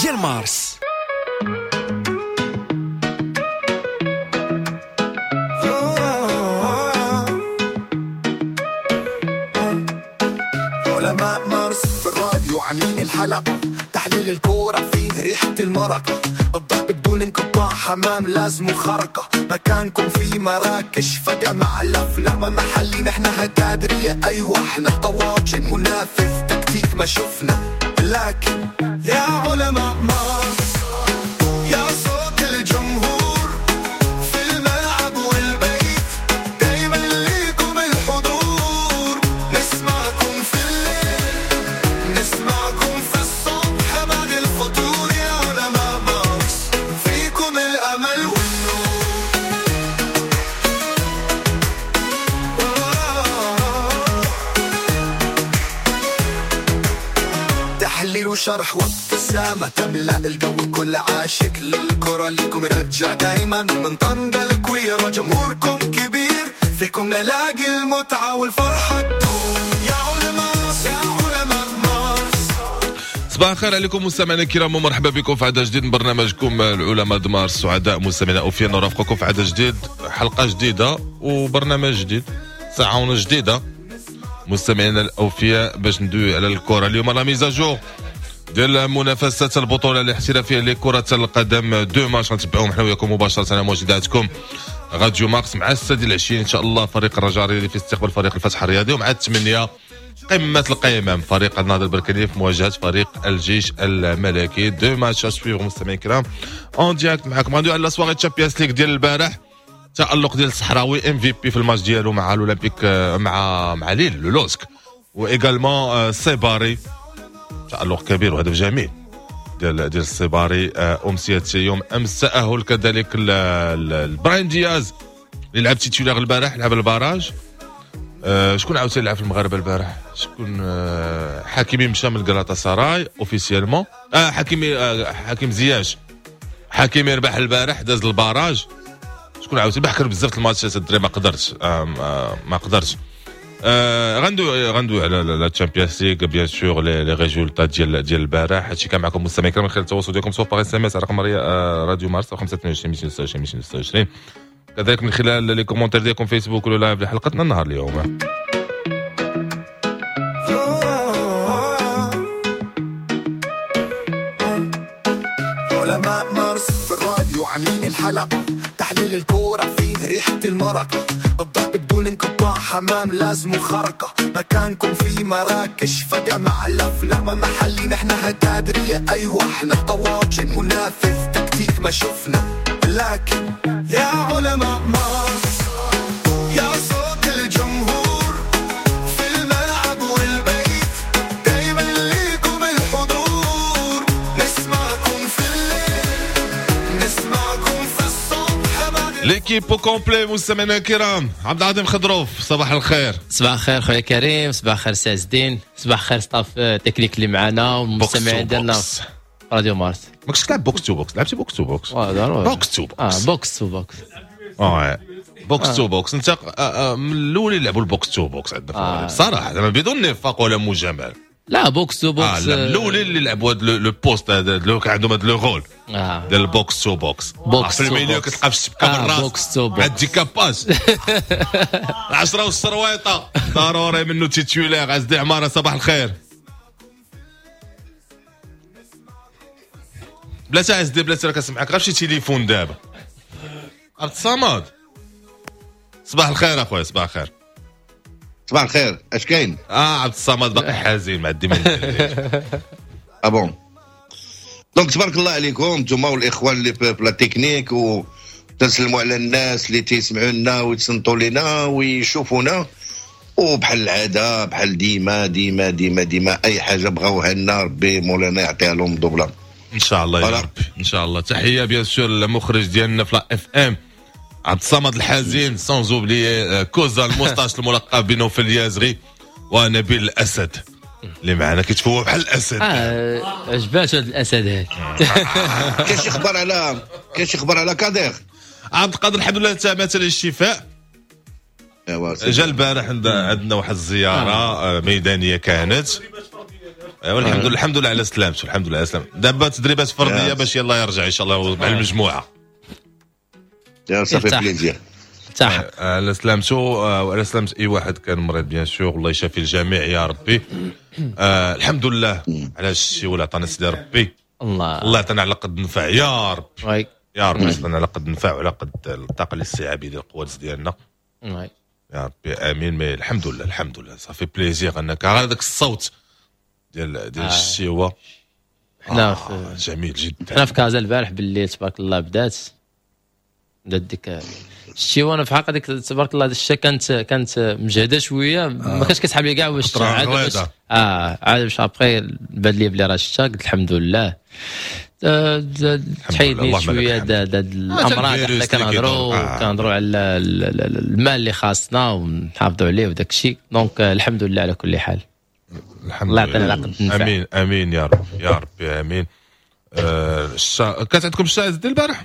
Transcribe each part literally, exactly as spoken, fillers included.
ديال مارس. علماء مارس في الراديو عاملين الحلقة، تحليل الكورة فيه ريحة المرقة، الضرب بدون انقطاع، حمام لازم خرقة، مكانكم في مراكش فجأة مع الأفلام محلي، نحن هكادرية أيوة احنا طواجن، منافس تكتيك ما شفنا، لكن يا علماء مارس يا صوت الجمهور في الملعب والبيت، دايما ليكم الحضور، نسمعكم في الليل نسمعكم في الصبح بعد الفطور، يا علماء مارس فيكم الأمل والنور. تحليل وشرح وابتسامة تملأ الجو، كل عاشق للكرة ليكم رجع دايما، من طنجة الكويرة جمهوركم كبير، فيكم نلاقي المتعة والفرحة تدوم، يا علماء يا علماء مارس. صباح الخير عليكم مستمعينا الكرام ومرحبا بكم في عدد جديد من برنامجكم العلماء د مارس. سعداء مستمعينا اوفياء نرافقكم في عدد جديد، حلقة جديدة وبرنامج جديد، ساعة ونص جديدة مستمعينا الاوفياء باش ندوي على الكره. اليوم la mise à jour ديال منافسات البطولة الاحترافية لكرة القدم، deux matchs غنتبعوهم حنا وياكم مباشرة على موجوداتكم راديو مارس مع السادسة ديال العشية ان شاء الله. فريق الرجاء الرياضي في استقبال فريق الفتح الرياضي، ومع الثمانية قمة القمم فريق النهضة البركانيه في مواجهة فريق الجيش الملكي. deux matchs à suivre مستمعين الكرام en direct معكم. غندوي على la soirée Champions League ديال البارح، تألق ديال الصحراوي MVP في الماتش ديالو مع الاولمبيك مع مع ليل le LOSC، و également سيباري تألق كبير وهدف جميل ديال ديال السيباري. امسية يوم امس تأهل كذلك براين دياز اللي لعب titulaire البارح، لعب ال barrage. أه شكون عاوتاني لعب في المغاربة البارح؟ شكون؟ أه حكيمي مشى من غلاطا سراي officiellement. اه حكيمي آه حكيم زياش، حكيمي ربح البارح داز ال barrage. شكون عاوتاني بحكر بزاف الماتشات الدري ما قدرتش آه ما قدرتش. آه غندوي غندوي على la Champions League bien sûr les résultats ديال ديال البارح. هادشي كان معكم مستمعين الكرام من خلال التواصل ديالكم سواء par SMS على رقم راديو مارس خمسة اثنين وعشرين مئتين وستة وعشرين مئتين وستة وعشرين، كذلك من خلال les commentaires ديالكم فيسبوك ولا live لحلقتنا النهار اليوم. علماء مارس في الراديو عاملين الحلقة، تحليل الكورة فيه ريحة المرقة، الضرب بدون انقطاع، حمام لازم خرقة، مكانكم في مراكش فجأة مع الأفلام محلي، نحن هكادرية أيوة احنا طواجن، منافس تكتيك ما شفنا، لكن يا علماء مارس يا صوت الجمهور في الملعب والبيت، دايما ليكم الحضور، نسمعكم في الليل نسمعكم في الصبح بعد. l'équipe au complet مستمعينا الكرام، عبد العظيم خضروف صباح الخير. صباح الخير خويا كريم، صباح الخير سي عز الدين، صباح الخير staff technique اللي معنا والمستمعين ديالنا راديو مارس. ما كنتش تلعب box to box؟ لعبتي box to box؟ اه box to box. اه box to box. اه box to box. انت من الاول اللي لعبوا ال box to box عندنا في المغرب صراحة، زعما بدون نفاق ولا مجاملة. لا box to box. اه لا الاولين اللي لعبوا هذا le poste هذا اللي كان عندهم هذا le rôle ديال ال box to box. box في ال milieu كتلقى في الشبكة بالراس box to box مع ال décapage العشرة والسرويطه ضروري منه titulaire. عز عمارة صباح الخير. بلاتي عز بلاتي راه كنسمعك غير شي تليفون دابا. عبد الصمد صباح الخير اخويا. صباح الخير. صباح الخير، اش كاين؟ اه عبد الصمد باقي حزين مع الديمين. ah bon donc تبارك الله عليكم انتم والاخوان اللي في la technique، و تنسلموا على الناس اللي تيسمعوا لنا ويتصنتوا لنا ويشوفونا، وبحال العادة بحال ديما ديما ديما ديما اي حاجة بغاوها لنا ربي مولانا يعطيها لهم double ان شاء الله يا ربي ان شاء الله. تحية bien sûr للمخرج ديالنا في la FM عبد الصمد الحزين، sans oublier كوزا ال moustache الملقب بنوفل اليازغي، ونبيل الاسد اللي معنا كيتفوق بحال الاسد. اه عجباتو هذا الاسد هذا. كاين شي خبر على كاين شي خبر على كادير؟ عبد القادر الحمد لله تمات للشفاء. جا البارح عندنا واحد الزيارة آه. ميدانية كانت. ايوا الحمد لله، الحمد لله على سلامته، الحمد لله على سلامته. دابا تدريبات فردية باش يلا يرجع ان شاء الله مع المجموعه. يا ça fait plaisir. على سلامته وعلى سلامة اي واحد كان مريض bien sûr، الله يشافي الجميع يا ربي. آه الحمد لله على الشيء ولا عطانا سيدي ربي، الله الله يعطينا على قد النفع يا رب، يا رب يعطينا على قد النفع وعلى قد الطاقة الاستيعابيه ديال القوات ديالنا يا ربي، امين. mais الحمد لله، الحمد لله، ça fait plaisir انك هذاك الصوت ديال ديال الشيوه حنا آه جميل جدا. حنا في كازا البارح بالليل تبارك الله بدات بدات ديك الشتي، انا في حق هذيك تبارك الله الشتا كانت كانت مجهده شويه، ما كانش كيسحب لي كاع واش عاد باش اه عاد باش après بان لي بلي راه الشتا، قلت الحمد لله تحيدني شوية هاد الامراض. حنا كنهضروا كنهضروا على الماء اللي خاصنا ونحافظوا عليه وداك الشيء، donc الحمد لله على كل حال. الحمد الله يعطينا على قد النفع. امين امين يا رب، يا ربي امين. آه الشتا كانت عندكم الشتا ديال البارح؟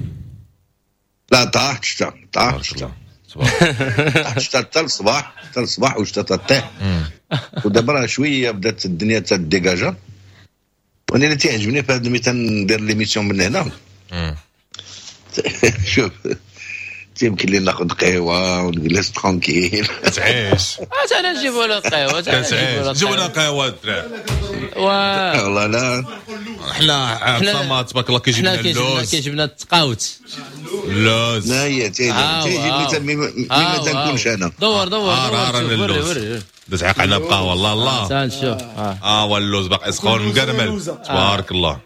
لا، طاحت الشتا، طاحت الشتا، طاحت الشتا حتى الصباح، حتى الصباح والشتا تطيح، ودابا راه شوية بدات الدنيا تديكاجا. وانا اللي تيعجبني في هذا ملي تندير l'émission من هنا، شوف تيمكن لي ناخذ قهوة ونجلس tranquille. تعيش. انا نجيبوا له قهوه. تعيش، جيبوا لنا قهوة الدراري. والله لا. حنا عصام تبارك الله كيجيب لنا اللوز. كيجيب لنا التقاوت. اللوز. لا هي تيجي تيجي ملي ما تنكونش انا. دور دور دور، وري وري. دز عيق علينا بقهوه، الله الله. تعال نشوف. اه واللوز باقي سخون مقرمل، تبارك الله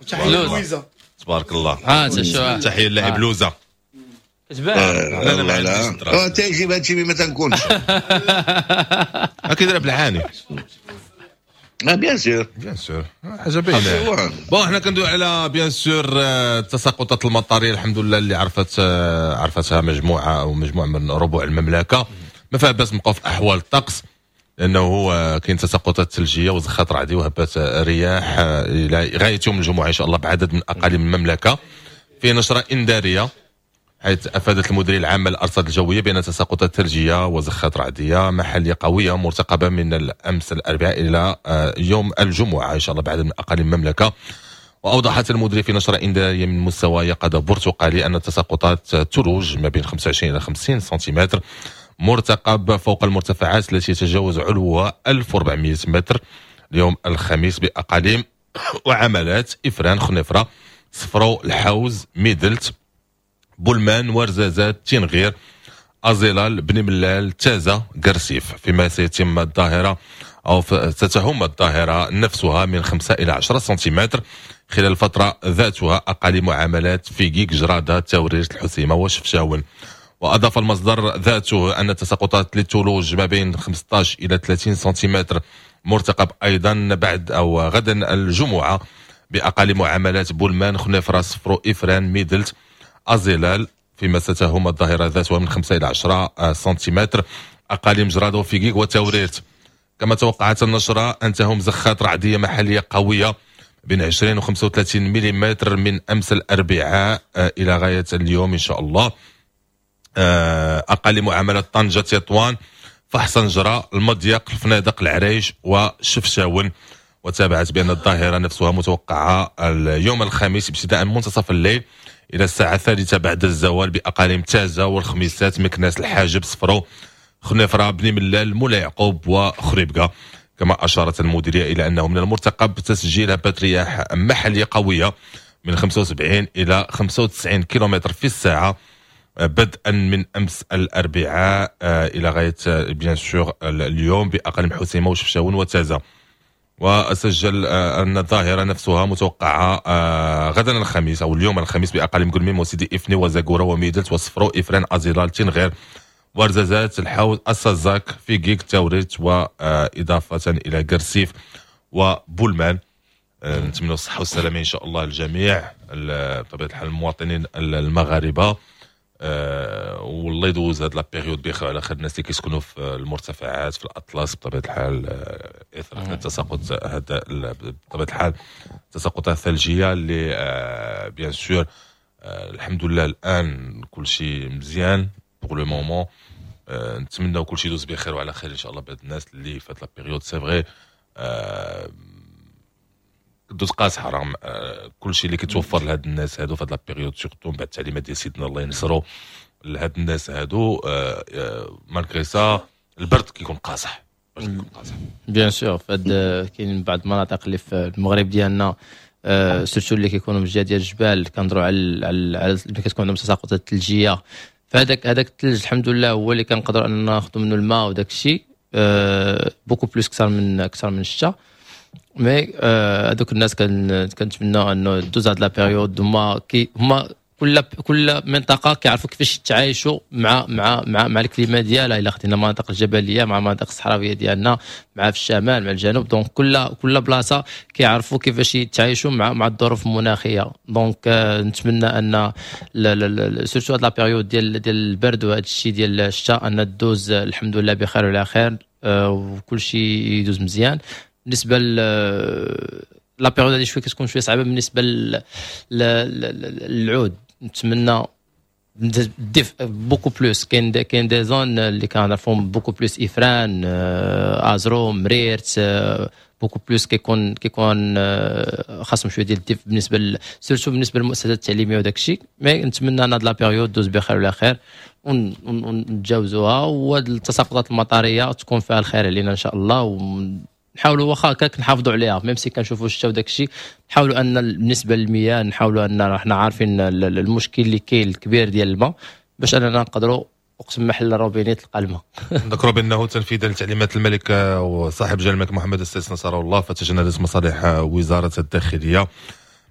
تبارك الله. اه شوف. تحية للاعب لوزه. كتبان. لا لا ما لا لا، تيجيب هادشي ما تنكونش. كيدير بالعاني. bien sûr. bien sûr، حاجة باينه. bon حنا كندوي على bien sûr التساقطات المطريه، الحمد لله اللي عرفت عرفتها مجموعة او مجموعة من ربوع المملكه. ما فيها باس نبقاو في احوال الطقس، لانه هو كاين تساقطات ثلجيه وزخات رعديه وهبات رياح الى غاية يوم الجمعة ان شاء الله بعدد من اقاليم المملكه. في نشره انذاريه، حيث افادت المديرية العامة للارصاد الجوية بان تساقطات ثلجيه وزخات رعديه محليه قوية مرتقبه من الامس الاربعاء الى يوم الجمعة ان شاء الله بعدد من اقاليم المملكه. واوضحت المديرية في نشره انذاريه من مستوى يقظه برتقالي ان التساقطات ثلوج ما بين خمسة وعشرين الى خمسين سنتيمتر مرتقب فوق المرتفعات التي يتجاوز علوها ألف وأربعمئة متر اليوم الخميس باقاليم وعملات افران، خنيفره، صفرو، الحوز، ميدلت، بولمان، ورزازات، تنغير، أزيلال، بني ملال، تازا، قرسيف. فيما سيتم الظاهرة أو ستهم الظاهرة نفسها من خمسة إلى عشرة سنتيمتر خلال الفترة ذاتها أقاليم وعملات فيكيك، جرادة، تاوريرت، الحسيمة وشفشاون. وأضاف المصدر ذاته أن التساقطات للثلوج ما بين خمسة عشر إلى ثلاثين سنتيمتر مرتقب أيضا بعد أو غدا الجمعة بأقاليم وعملات بولمان، خنيفرة، صفرو، إفران، ميدلت، أزيلال. فيما ستهم الظاهرة ذاتها من خمسة إلى عشرة سنتيمتر أقاليم جرادة وفيكيك وتاوريرت. كما توقعت النشرة أن تهم زخات رعدية محلية قوية بين عشرين و خمسة وثلاثين مليمتر من أمس الأربعاء إلى غاية اليوم إن شاء الله. أقاليم معاملة طنجة، تطوان، فحصنجرة، المضيق، الفنادق، العريش وشفشاون. وتابعت بأن الظاهرة نفسها متوقعة اليوم الخميس ابتداء من منتصف الليل إلى الساعة الثالثة بعد الزوال بأقاليم تازة والخميسات، مكناس، الحاجب، صفرو، خنيفرة، بني ملال، مولاي يعقوب وخريبكا. كما أشارت المديرية إلى أنه من المرتقب تسجيل هبات رياح محلية قوية من خمسة وسبعين إلى خمسة وتسعين كيلومتر في الساعة بدءا من أمس الأربعاء إلى غاية bien sûr اليوم بأقاليم حسيمة وشفشاون وتازة. وسجل أن الظاهرة نفسها متوقعة غدا الخميس أو اليوم الخميس بأقاليم قلميم وسيدي إفني وزاكورة وميدلت وصفرو، إفران، أزيلال، تنغير، ورزازات، الحوز، السزاك، فيكيك، تاوريت، وإضافة إلى قرسيف وبولمان. نتمنى الصحة والسلامة إن شاء الله للجميع بطبيعة الحال المواطنين المغاربة، أه والله يدوز هاد la période بخير على خير. الناس اللي كيسكنوا في المرتفعات في الاطلس بطبيعة الحال اثر التساقط هذا بطبيعة الحال التساقطات الثلجيه اللي أه bien sûr أه الحمد لله الان كل شيء مزيان pour le moment. أه نتمناو كل شيء يدوز بخير وعلى خير ان شاء الله بهاد الناس اللي فات la période. c'est vrai أه كدوز قاصحة رغم آه، كل شيء اللي كيتوفر لهاد الناس هادو في هاد la période، surtout بعد التعليمات ديال سيدنا الله ينصرو لهاد الناس هادو. malgré ça البرد كيكون قاصح، البرد كيكون قاصح. bien sûr، فهاد كاين بعض المناطق اللي في المغرب ديالنا، آه، surtout اللي كيكونوا من الجهة ديال الجبال، كنهضروا على على على اللي كتكون عندهم تساقطات ثلجيه. فهذاك هذاك الثلج الحمد لله هو اللي كنقدروا اننا ناخذوا منه الماء وداك الشيء beaucoup plus اكثر من اكثر من الشتاء. mais هذوك الناس كنتمنى انه دوز هاد la période. هما كي هما كل كل منطقة كيعرفوا كيفاش يتعايشوا مع مع مع مع ال climat ديالها. الا خدينا المناطق الجبلية مع المناطق الصحراوية ديالنا، مع في الشمال مع الجنوب، donc كل كل بلاصة كيعرفوا كيفاش يتعايشوا مع مع الظروف المناخيه. donc آه، نتمنى ان surtout هاد la période ديال ديال البرد وهذا الشيء ديال الشتاء ان دوز الحمد لله بخير وعلى خير، آه، وكل شيء يدوز مزيان. بالنسبة la période هذه شوية كتكون شوية صعيبة بالنسبة للعود. نتمنى الدفء beaucoup plus. كاين كاين des zones اللي كنعرفهم beaucoup plus، افران، آه، ازرو، مريرت، beaucoup plus كيكون كيكون آه، خاصهم شوية ديال الدفء بالنسبة surtout بالنسبة للمؤسسات التعليمية وداك الشيء. mais نتمنى ان هاد la période دوز بخير وعلى خير ونتجاوزوها، وهاد التساقطات المطريه تكون فيها الخير علينا ان شاء الله. ونحاولوا واخا هكاك نحافظوا عليها، même si كنشوفوا الشتا وداك الشيء، نحاولوا ان بالنسبة للمياه نحاولوا ان احنا عارفين المشكل اللي كاين الكبير ديال الماء، باش اننا نقدروا وقت ما حل الروبيني تلقى الماء. نذكروا بانه تنفيذا لتعليمات الملك وصاحب جلاله الملك محمد السادس نصره الله، فتجندت مصالح وزارة الداخلية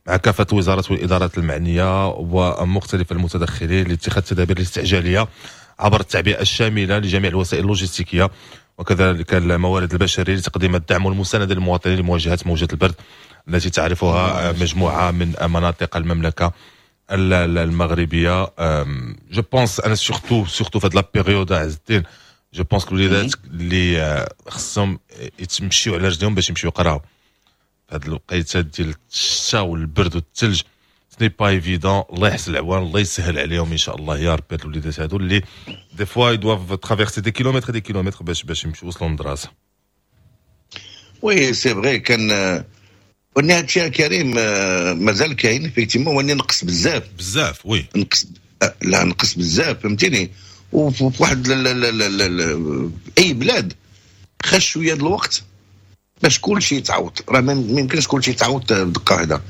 مع كافة الوزارات والادارات المعنية ومختلف المتدخلين لاتخاذ التدابير الاستعجاليه عبر التعبئه الشاملة لجميع الوسائل اللوجستيكيه وكذلك الموارد البشرية لتقديم الدعم والمسانده للمواطنين لمواجهة موجه البرد التي تعرفها مجموعة من مناطق المملكة المغربيه. je pense انا surtout surtout في هاد la période، عز الدين، je pense الوليدات اللي خصهم يتمشيو على رجليهم باش يمشيو يقراو في هاد الوقيته ديال الشتاء والبرد والثلج، ce n'est pas évident. الله يحسن العوان، الله يسهل عليهم ان شاء الله يا ربي، هاد الوليدات هادو اللي des fois doivent traverser des kilomètres des kilomètres باش باش يمشيو يوصلوا للمدرسه. oui c'est vrai، كان وني هادشي كريم مازال كاين effectivement، وني نقص بزاف. بزاف oui. نقص، لا نقص بزاف، فهمتيني. وفي واحد اي بلاد خاص شوية الوقت باش كل شيء يتعوض، راه ما يمكنش كل شيء يتعوض بدقة واحده.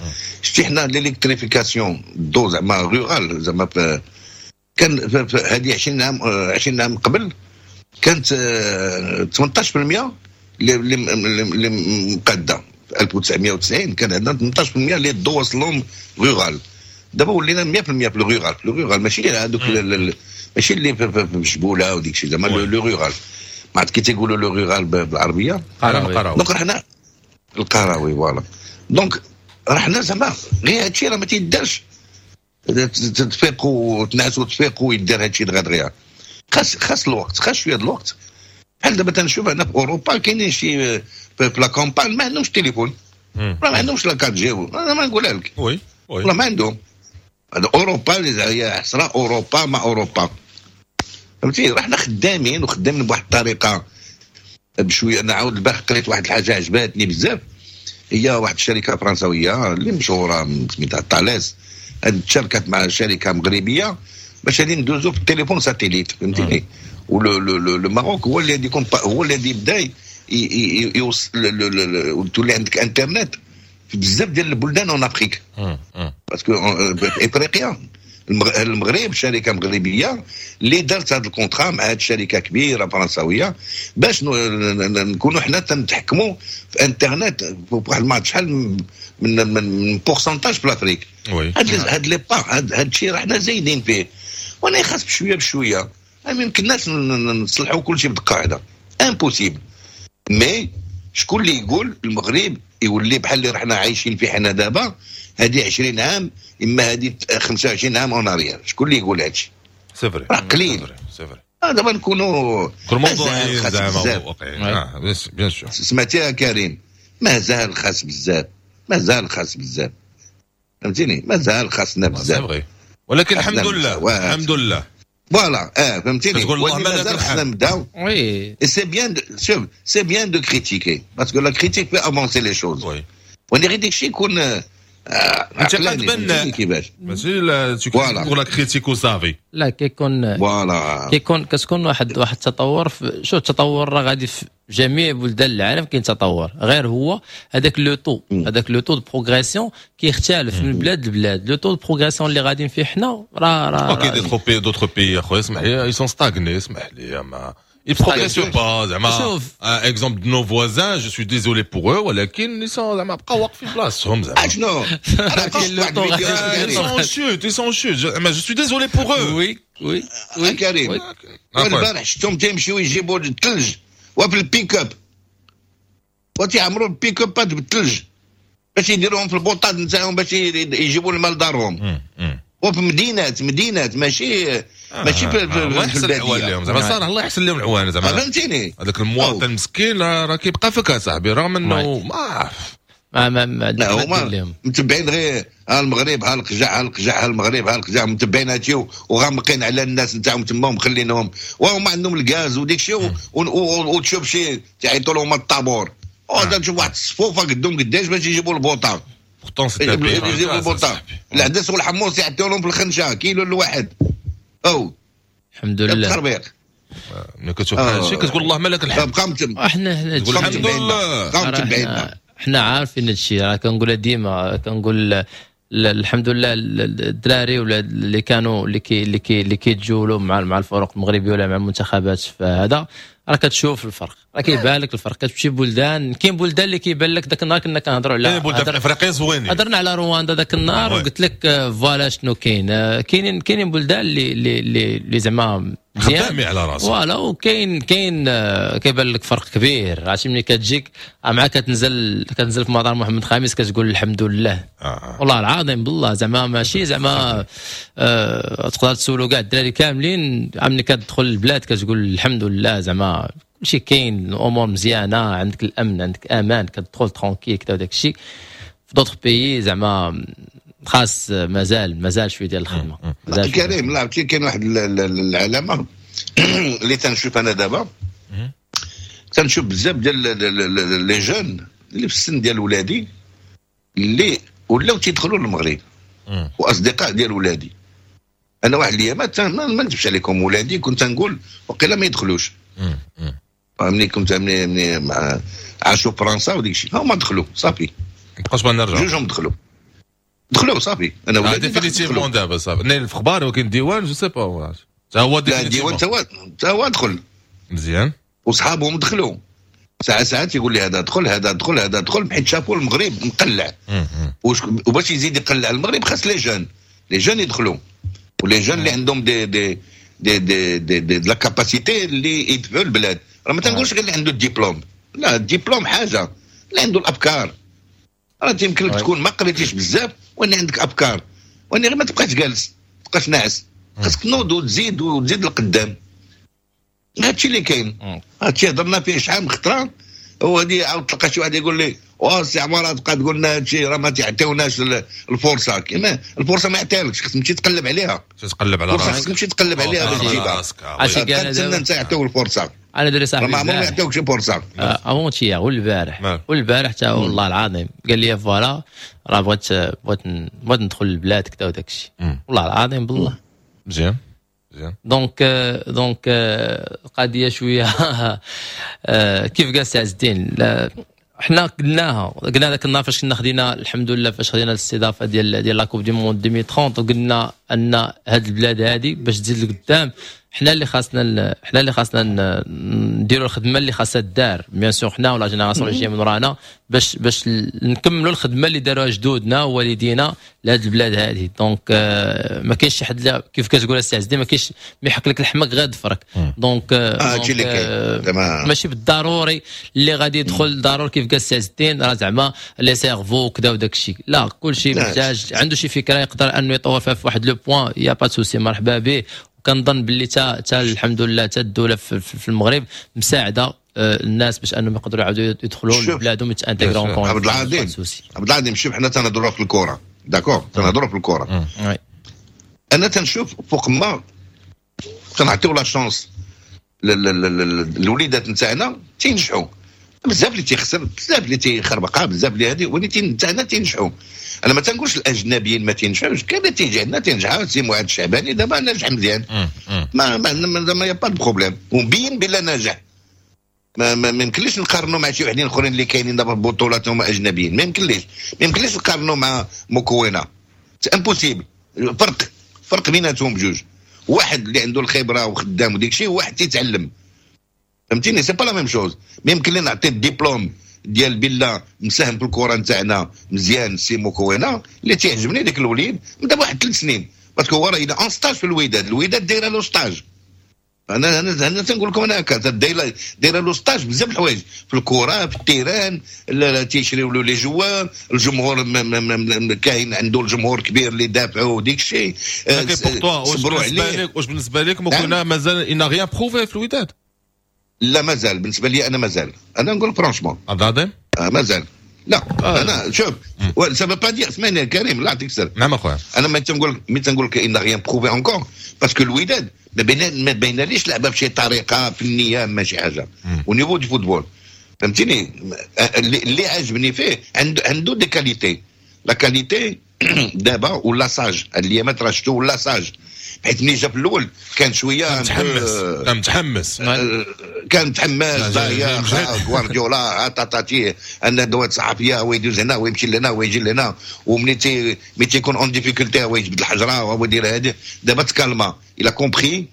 شتي حنا l'électrification دو زعما rurale زعما كان هذه عشرين عام، عشرين عام قبل كانت ثمنطاش في المية اللي اللي مقاده. في ألف وتسعمية وتسعين كان عندنا ثمنطاش في المية اللي الضو وصل لهم rural. دابا ولينا مية في المية في ال rural، في ال rural ماشي هذوك، ماشي اللي في جبوله وديك الشيء، زعما le rural. ما عرفت كي تيقولوا le rural بالعربيه. قراوي. donc حنا القراوي، voilà. donc راه حنا زعما غير هادشي راه ما تيدارش، تفيقوا وتنعسوا تفيقوا ويدار هادشي دغيا دغيا. خاص خاص الوقت، خاص شوية الوقت. بحال دابا تنشوف انا في اوروبا كاينين شي في la campagne ما عندهمش تليفون، ما عندهمش la quatre G، انا ما نقولها لك. oui oui. والله ما عندهم. هذا اوروبا هي حسرة اوروبا ما اوروبا، فهمتي. راه حنا خدامين وخدامين بواحد الطريقة بشويه. انا عاود البارح قريت واحد الحاجة عجبتني بزاف، هي واحد الشركة فرنسويه اللي مشهورة سميتها طاليس، تشاركت مع شركة مغربية باش غادي ندوزو في التليفون satellite، فهمتيني. و le le Maroc هو اللي يكون هو اللي يبدا يوصل، تولي عندك انترنت في بزاف ديال البلدان en Afrique، parce que في افريقيا المغرب شركة مغربية اللي دارت هذا ال contrat مع هذه الشركة كبيرة فرنساويه باش نكونوا حنا تنتحكموا في انترنت بواحد ما شحال من من pourcentage في l'Afrique. هاد هاد les pas، هاد الشيء راه حنا زايدين فيه، وانا خاص بشوية بشويه. ما يمكنناش نصلحوا كل شيء بدقة واحده، impossible. mais شكون اللي يقول المغرب يولي بحال اللي رحنا عايشين فيه حنا دابا هذه عشرين عام اما هذه خمسة وعشرين عام en arrière؟ شكون اللي يقول هادشي؟ c'est vrai. راه قليل. c'est vrai. دابا نكونوا كل موضوعيين زعما واقعيين، اه bien sûr. سمعتيها كريم، مازال خاص بزاف، مازال خاص بزاف، فهمتيني، مازال خاصنا بزاف. ولكن الحمد لله، الحمد لله. voilà، اه فهمتيني. تقول اللهم لك مازال خصنا نبداو. oui. c'est bien، شوف، c'est bien de critiquer parce que la critique fait avancer les choses. oui. وانا غير داك الشيء يكون انتقاد بناء كيفاش ماشي pour la critique وصافي. لا كيكون voilà كيكون كتكون واحد واحد التطور. شو التطور راه غادي في جميع بلدان العالم كاين تطور، غير هو هذاك le taux هذاك le taux de progression كيختلف من بلاد لبلاد. le taux de progression اللي غاديين فيه حنا راه راه OK d'autres pays d'autres pays اخويا اسمح لي ils sont stagnés، اسمح لي ما ils progressent pas زعما. exemple de nos voisins، je suis désolé pour eux، ولكن ils sont زعما بقاو واقفين بلاصتهم زعما. شنو ils sont en chute، ils sont en chute زعما، je suis désolé pour eux. oui oui oui كريم، البارح شفتهم تيمشيو يجيبوا الثلج وفي البيك اب، وتيعمروا البيك ابات بالثلج باش يديروهم في البوطات نتاعهم باش يجيبوا الماء لدارهم. وفي مدينات مدينات ماشي ماشي في الله يحسن العوان لهم زعما، صراحة الله يحسن لهم العوان زعما. فهمتيني؟ هذاك المواطن مسكين راه كيبقى فيك صاحبي، رغم انه ما ما ما ما لا هما متبعين غير ها المغرب ها القجع ها القجع ها المغرب ها القجع، متبعين هادشي وغامقين على الناس نتاعهم تما ومخلينهم، وهما عندهم الغاز وديك الشيء، وتشوف شي تعيطوا لهم الطابور وهذا، تشوف واحد الصفوفه قدهم قداش باش يجيبوا البوطه. pourtant c'est يجيبوا البوطه، العدس والحمص يعطيو لهم في الخنشه كيلو الواحد. او الحمد لله التخربيق. ملي كتشوف هذا الشيء كتقول اللهم لك الحمد. بقى احنا حنا الحمد لله. بقى متبعين. حنا عارفين هذا الشيء، راه كنقولها ديما، كنقول الحمد لله الدراري ولا اللي كانوا اللي كي اللي كي اللي كيتجولوا مع مع الفرق المغربية ولا مع المنتخبات، فهذا راه كتشوف الفرق، راه كيبان لك الفرق. كتمشي بلدان، كاين بلدان اللي كيبان لك. ذاك النهار كنا كنهضروا على بلدان افريقيا زوينين، هضرنا على رواندا ذاك النهار وقلت لك voilà شنو كاين. كاينين كاينين بلدان اللي اللي اللي زعما خدامي على راسه voilà، وكاين كاين كيبان لك فرق كبير. عرفتي ملي كتجيك مع كتنزل كتنزل في مطار محمد الخامس كتقول الحمد لله. آه. والله العظيم بالله زعما ماشي زعما آه تقدر تسولوا كاع الدراري كاملين، ملي كتدخل البلاد كتقول الحمد لله، زعما كلشي كاين، الامور مزيانه، عندك الامن، عندك امان، كتدخل tranquille كذا وداك الشيء. في d'autres pays زعما خاص مازال مازال شوية ديال الخدمه. كريم، لا كاين واحد العلامة اللي تنشوف انا دابا، تنشوف بزاف ديال les jeunes اللي في السن ديال ولادي اللي ولاو تيدخلوا للمغرب واصدقاء ديال ولادي. انا واحد الايامات ما نكذبش عليكم، ولادي كنت نقول وقيلا ما يدخلوش، ملي كنت ملي مع عاشوا فرنسا وديك الشيء، هما دخلوا صافي. مابقاش بغا نرجع. جوجهم دخلوا دخلوا صافي. انا ولادي définitivement دابا صافي نايل في اخبار، ولكن الديوان je sais pas. تا هو الديوان تا هو دخل مزيان وصحابهم دخلوا. ساعة ساعات يقول لي هذا دخل هذا دخل هذا دخل، حيت شافوا المغرب مقلع، وباش يزيد يقلع المغرب خاص les jeunes les jeunes يدخلوا، و les jeunes اللي عندهم des des des des des, des, de la capacité اللي يدفعوا البلاد. راه ما تنقولش غير اللي عنده الدبلوم، لا الدبلوم حاجه، اللي عنده الافكار. راه يمكن لك تكون ما قريتيش بزاف وان عندك افكار، وان غير ما تبقاش جالس، ما تبقاش ناعس، خاصك تنوض وتزيد وتزيد لقدام. هادشي اللي كاين، هادشي هضرنا فيه شحال من خطره. وهادي عاود تلقى شي واحد يقول لي واه سي عمارة تبقى تقول لنا هادشي، راه ما تعطيوناش الفرصه. كيما الفرصة ما يعطيهالكش، خصك تمشي تقلب عليها. تقلب على راسك، خصك تمشي تقلب عليها باش تجيبها. عرفتي كاع تسنى انت يعطيو الفرصه. انا دري صاحبي ما عمرهم ما يعطيوك شي فرصه. avant-hier والبارح والبارح حتى والله العظيم قال لي voilà راه بغيت بغيت بغيت ندخل للبلاد كذا وداك الشيء، والله العظيم بالله. مزيان مزيان. donc donc القضية شوية كيف قال سي عز الدين، حنا قلناها، قلنا ذاك النهار فاش كنا خدينا الحمد لله فاش خدينا الاستضافة ديال ديال la Coupe du monde ألفين وثلاثين، وقلنا ان هاد البلاد هادي باش تزيد لقدام حنا اللي خاصنا حنا اللي خاصنا نديروا الخدمة اللي خاصها دار، bien sûr حنا و la génération اللي جاية من ورانا، باش باش نكملوا الخدمة اللي داروها جدودنا ووالدينا لهاد البلاد هذه. donc آه، ما كاينش شي حد، كيف كتقول السي عز الدين، ما كاينش ما يحك لك لحمك غير ضفرك. donc هادشي اللي كاين. ماشي بالضروري اللي غادي يدخل ضروري كيف قال السي عز الدين راه زعما les cerveaux وكذا وداك الشيء، لا كلشي محتاج عنده شي فكرة يقدر انه يطور فيها في واحد le point، y a pas de souci، مرحبا به. وكنظن باللي تا تا الحمد لله تا الدولة في, في المغرب مساعدة آه، الناس باش انهم يقدروا يعاودوا يدخلوا لبلادهم يتانتيغرون. عبد العظيم عبد العظيم، شوف حنا تنهضروا في الكره، d'accord، تنهضروا في الكره. انا تنشوف فوق ما تنعطيو la chance للوليدات نتاعنا تينجحوا. بزاف اللي تيخسر، بزاف اللي تيخربقها، بزاف اللي هذه، ولكن تاعنا تينجحوا. انا ما تنقولش الاجنبيين ما تينجحوش، كاين اللي تيجي عندنا تينجح. سي معاذ الشعباني دابا ناجح مزيان، ما ما ما y a pas de problème، ومبين بلا ناجح. ما ما يمكنليش نقارنوا مع شي وحدين اخرين اللي كاينين دابا في بطولات هما اجنبيين، ما يمكنليش ما يمكنليش نقارنوا مع موكوينا، c'est impossible. فرق فرق بيناتهم بجوج، واحد اللي عنده الخبرة وخدام وديك الشيء، وواحد تيتعلم، فهمتيني؟ c'est pas la même chose. ما يمكن لي نعطي الدبلوم ديال بلا مساهم في الكره نتاعنا مزيان سي موكوينا اللي تيعجبني ديك الوليد من دابا واحد ثلاث سنين، parce que هو راه الى en stage في الوداد، الوداد دايرة له stage. انا انا انا تنقول لكم انا هكا دايرة دايرة له stage بزاف الحوايج في الكره، في ال terrain، تيشريو له les joueurs، الجمهور كاين عنده الجمهور كبير اللي دافعوا وديك الشيء، صبروا عليه. واش بالنسبة لك موكوينا مازال il n'a rien prouvé في الوداد؟ لا مازال، بالنسبة لي انا مازال، انا نقول franchement عبد العظيم آه مازال. لا آه. انا شوف ça veut pas dire، اسمعني يا كريم الله يعطيك السر. نعم اخويا، انا ما تنقول ملي تنقول لك il n'a rien prouvé encore parce que الوداد ما بين ما بيناليش لعبه بشي طريقه فنية ماشي حاجة au niveau du football، فهمتيني؟ اللي, اللي عجبني فيه عنده عنده des qualités، la qualité دابا ولا sage الايامات راه شفتو ولا sage، حيت ملي جا في الاول كان شوية متحمس، كان متحمس، كان متحمس ضايع غوارديولا تاتاتي ان ندوات صحفية ويدوز هنا ويمشي لهنا ويجي لهنا، وملي تي ملي تيكون en difficulté هو يجبد الحجرة وهو يدير هذه. دابا تكالما، il a compris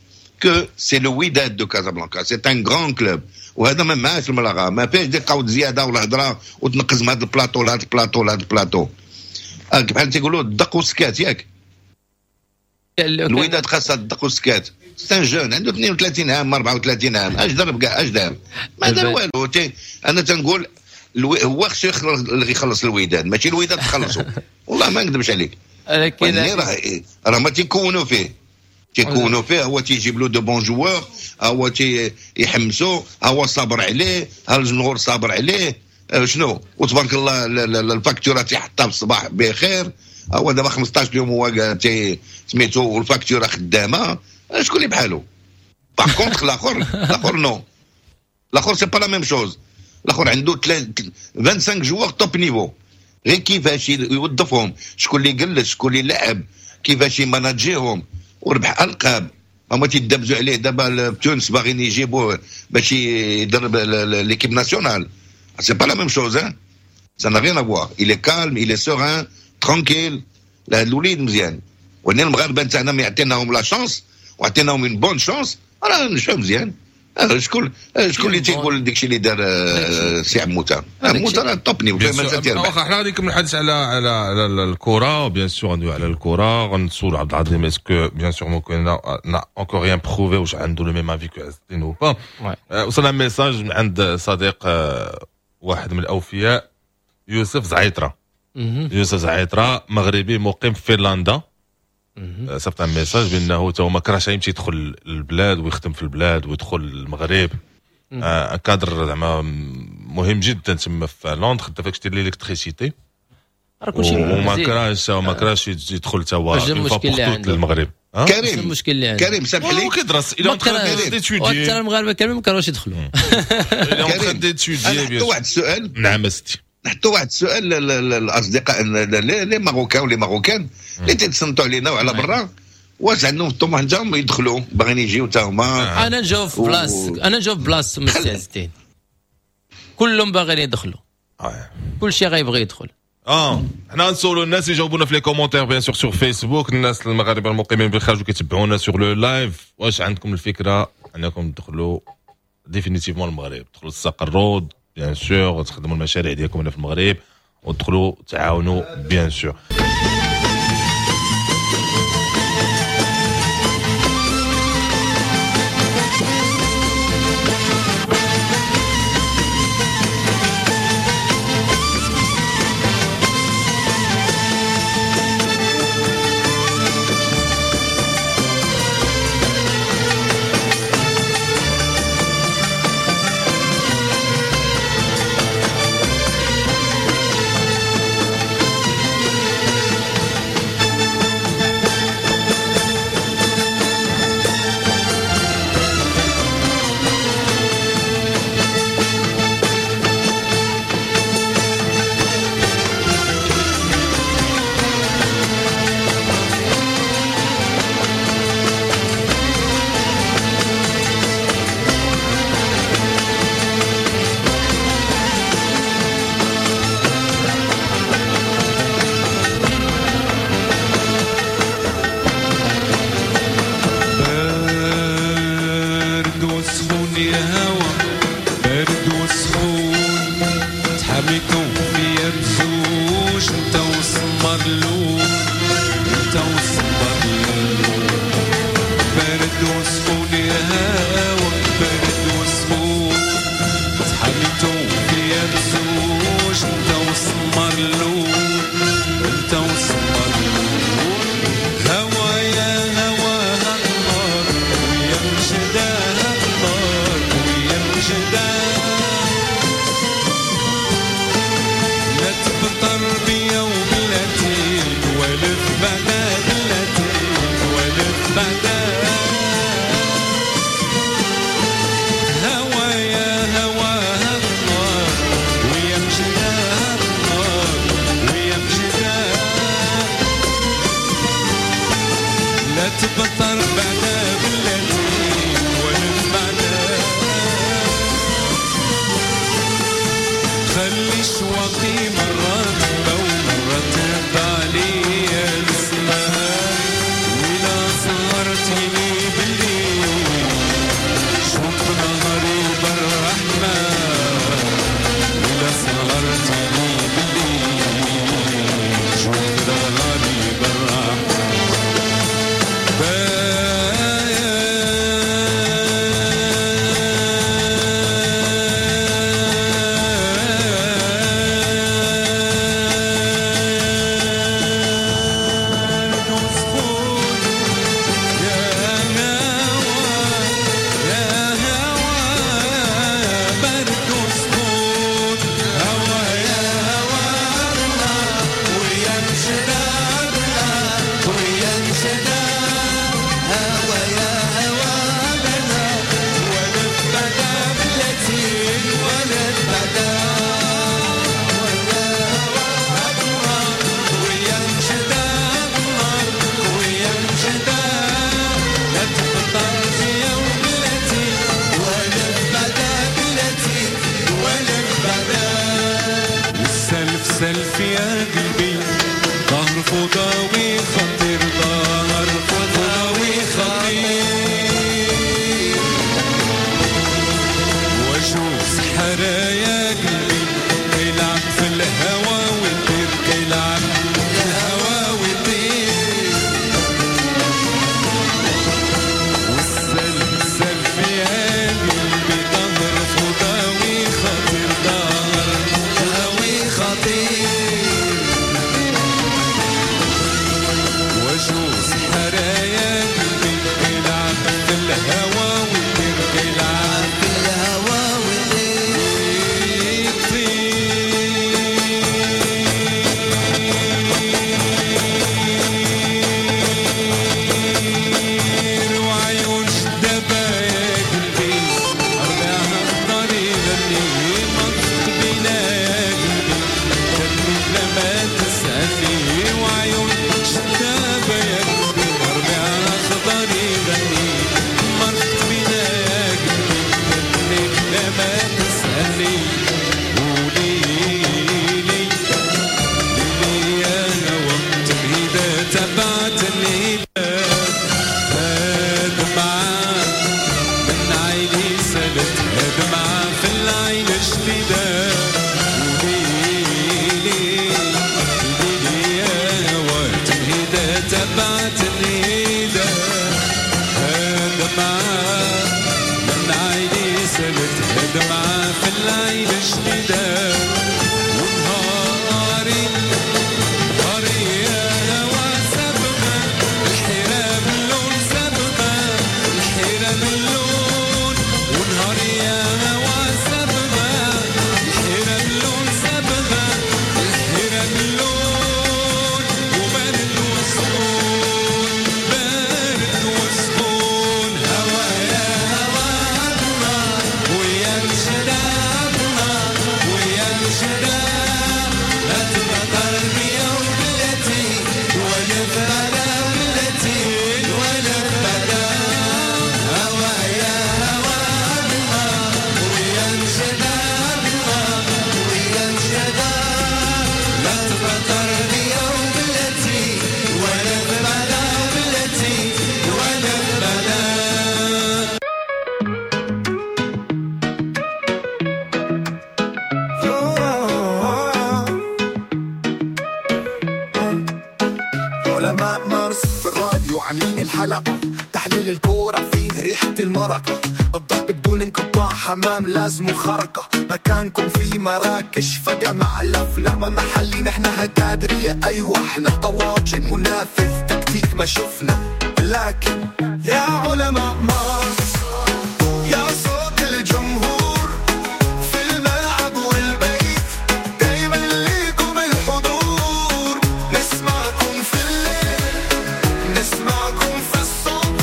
que c'est le Wydad de Casablanca، c'est un grand club، وهذا ما معاش الملاغه، ما فيهش ديك قود زيادة ولا هضره وتنقز من هذا البلاطو لهذا البلاطو لهذا البلاطو، بحال تيقولوا الدق وسكات ياك. الوداد خاصها الدق وسكات، c'est un jeune عنده اثنين وثلاثين عام أربعة وثلاثين عام، اش ضرب كاع، اش دار؟ ما دار والو. انا تنقول هو خصو يخلص الوداد، ماشي الوداد تخلصوا، والله ما نكذبش عليك. لكن راه راه ما تيكونوا فيه، تيكونوا فيه، هو تيجيب له de bons joueurs، هو تيحمسو، هو صابر عليه، ها الجمهور صابر عليه، شنو وتبارك الله ال facture تيحطها في الصباح بخير. هو دابا خمسطاش يوم هو سميتو وال facture خدامه، شكون اللي بحالو؟ par contre الاخر الاخر non، الاخر c'est pas la même chose. الاخر عنده خمسة وعشرين joueurs top niveau، غير كيفاش يوظفهم، شكون اللي جلس، شكون اللي لعب، كيفاش يماناجيهم، وربح القاب. هما تيدبزوا عليه دابا في تونس، باغيين يجيبوه باش يدرب l'équipe nationale. c'est pas la même chose، hein، ça n'a rien à voir. il est calme، il est serein، tranquille. لا الوليد مزيان، ولكن المغاربة نتاعنا ما يعطيناهم la chance وعطيناهم une bonne chance، راه نجحوا مزيان. شكون شكون اللي تيقول داكشي اللي دار سي عموتة؟ عموتة راه top niveau، مازال تيربح. واخا حنا غادي نكمل الحديث على على على الكره، bien sûr غندوي على الكره، غنسول عبد العظيم est-ce que bien sûr ممكن n'a encore rien prouvé، واش عنده le même avis que عز الدين ou pas. وصلنا message من عند صديق واحد من الاوفياء يوسف زعيطره، يوسف زعيطره مغربي مقيم في فنلندا، صيفط un message بانه تا هو ما كرهش يمشي يدخل البلاد ويخدم في البلاد ويدخل المغرب، آه كادر زعما مهم جدا تما في لندن، خدام فاك ديال l'électricité، وما كرهش وما كرهش يدخل تا هو المشكل اللي عنده للمغرب. كريم المشكل اللي عنده كريم سامح لي، هو كيدرس الى en train المغاربة كاملين ما كانوش يدخلوا. كريم واحد السؤال. نعم ستي، نحطوا واحد السؤال للاصدقاء les Marocains و les Marocaines اللي تيتصنتوا علينا وعلى برا، واش عندهم الطموح نتاعهم يدخلوا، باغيين يجيو تا هما؟ انا نجاوب في بلاص انا نجاوب بلاص مستي عز الدين، كلهم باغيين يدخلوا، كل شيء غيبغي يدخل. اه حنا نسولوا الناس يجاوبونا في les commentaires bien sûr sur Facebook، الناس المغاربة المقيمين بالخارج وكيتبعونا sur le live، واش عندكم الفكرة انكم تدخلوا définitivement المغرب، تدخلوا تستقروا bien sûr، تخدموا المشاريع ديالكم هنا في المغرب وتدخلوا تعاونوا bien sûr. بعدا. هوا يا هوا الله ويا مجدا الله ويا مجدا، لا تبطر بعدا بلاتي ولا بعدا، خلي شواقي مرة تبا ومرة تهبى عليا السماء، وإلا صغرتيني بالليل شوق نهاري بالرحمة، وإلا صغرتيني بالليل شوق نهاري بالرحمة. بارد وسخون يا هوا يا هوا، برد وسخون هوا يا هوا ويا مشداد ويا مشداد، هوا يا هوا ولا بعدا بلاتي ولا بعدا، ويا مشداد ويا مشداد، لا تبطل في يوم بلاتي ولا بعدا بلاتي ولا بعدا. والسلف سلف يا قلبي ظهر فضاوي خطير، ظهر فضاوي خطير، واشوف سحرة يا قلبي كيلعب في الهوا ويطير، كيلعب في الهوا ويطير. والسلف سلف يا قلبي ظهر فضاوي خطير، ظهر فضاوي خطير، واشوف سحرة يا قلبي كيلعب في الهوا ويطير، كيلعب في الهوا ويطير. ويطير. وعيون شدابة يا قلبي ربيعها خضر يغني، منطق بينا يا قلبي كمل بلا ما تسألني، وعيون شدابة يا قلبي ربيعها خضر يغني، منطق بينا يا قلبي كمل بلا ما تسألني. قوليلي ليلي يا هوا تمهيدة تبعت النداء، دمعة من عيني سالت دمعة في العين جديدة. قوليلي ليلي يا هوا تمهيدة تبعت النداء، دمعة من عيني سالت دمعة في العين جديدة. ونهاري نهاري يا هوا سبغة الحيرة باللون، سبغة الحيرة باللون، ونهاري يا هوا سبغة الحيرة باللون، سبغة الحيرة باللون، وبارد وسخون بارد وسخون. هوا يا هوا ويا مشداد ويا مشداد، لا تبطل بيوم بلاتي ولا بعدا بلاتي ولا بعدا. هوا يا هوا ويا مشداد ويا مشداد، لا تبطل بيوم بلاتي ولا بعدا بلاتي ولا بعدا. علماء مارس في الراديو عاملين الحلقة، تحليل الكورة فيه ريحة المرقة، الضرب بدون انقطاع حمام لازم خرقة، مكانكم في مراكش فجمع الأفلام محلي، نحن هكادرية أيوة احنا طواجن، منافذ تكتيك ما شفنا، لكن يا علماء مارس يا صوت الجمهور في الملعب والبيت، دايما ليكم الحضور، نسمعكم في الليل نسمعكم في الصبح،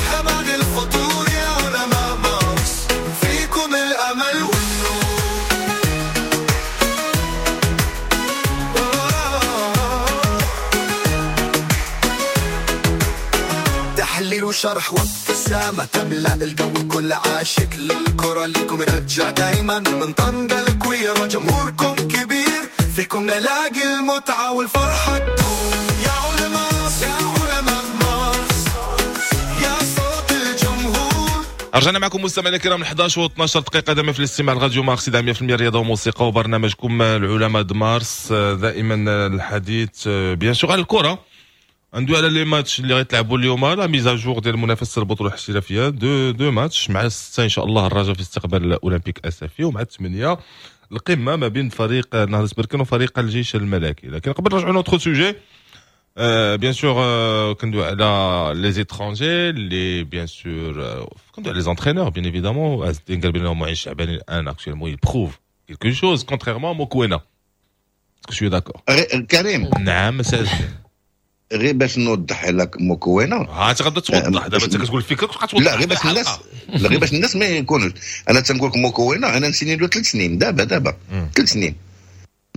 شرح وابتسامة تملأ الجو، كل عاشق للكرة ليكم رجع دايما من طنجة الكويرة، جمهوركم كبير فيكم نلاقي المتعة والفرحة تدوم. يا علماء يا علماء مارس، يا صوت الجمهور. رجعنا معكم مستمعينا الكرام إحداش و اثناش دقيقة دائما في الاستماع لراديو مارس مية في المية رياضة وموسيقى وبرنامجكم العلماء د مارس. دائما الحديث bien sûr على الكرة، ندوي على les matchs اللي غيتلعبوا اليوم، la mise à jour ديال المنافسة البطولة الاحترافيه، deux deux matchs. مع ستة ان شاء الله الرجاء في استقبال اولمبيك اسفي، ومع ثمانية القمه ما بين فريق نهضة بركان وفريق الجيش الملكي. لكن قبل نرجعوا notre sujet، bien sûr كندوي على les étrangers اللي bien sûr كندوي على les entraîneurs bien évidemment. عز الدين قال بان معين الشعباني الان actuellement il prouve quelque chose contrairement à Mokwena. Est-ce que tu es d'accord؟ كريم. نعم سي. غير باش نوضح لك مكونة. ها انت غادا توضح دابا، انت كتقول الفكرة تبقى توضح. لا، غير باش الناس، لا، غير باش الناس ما يكونوش. انا تنقول لك مكونة انا نسيني له ثلاث سنين دابا، دابا ثلاث سنين،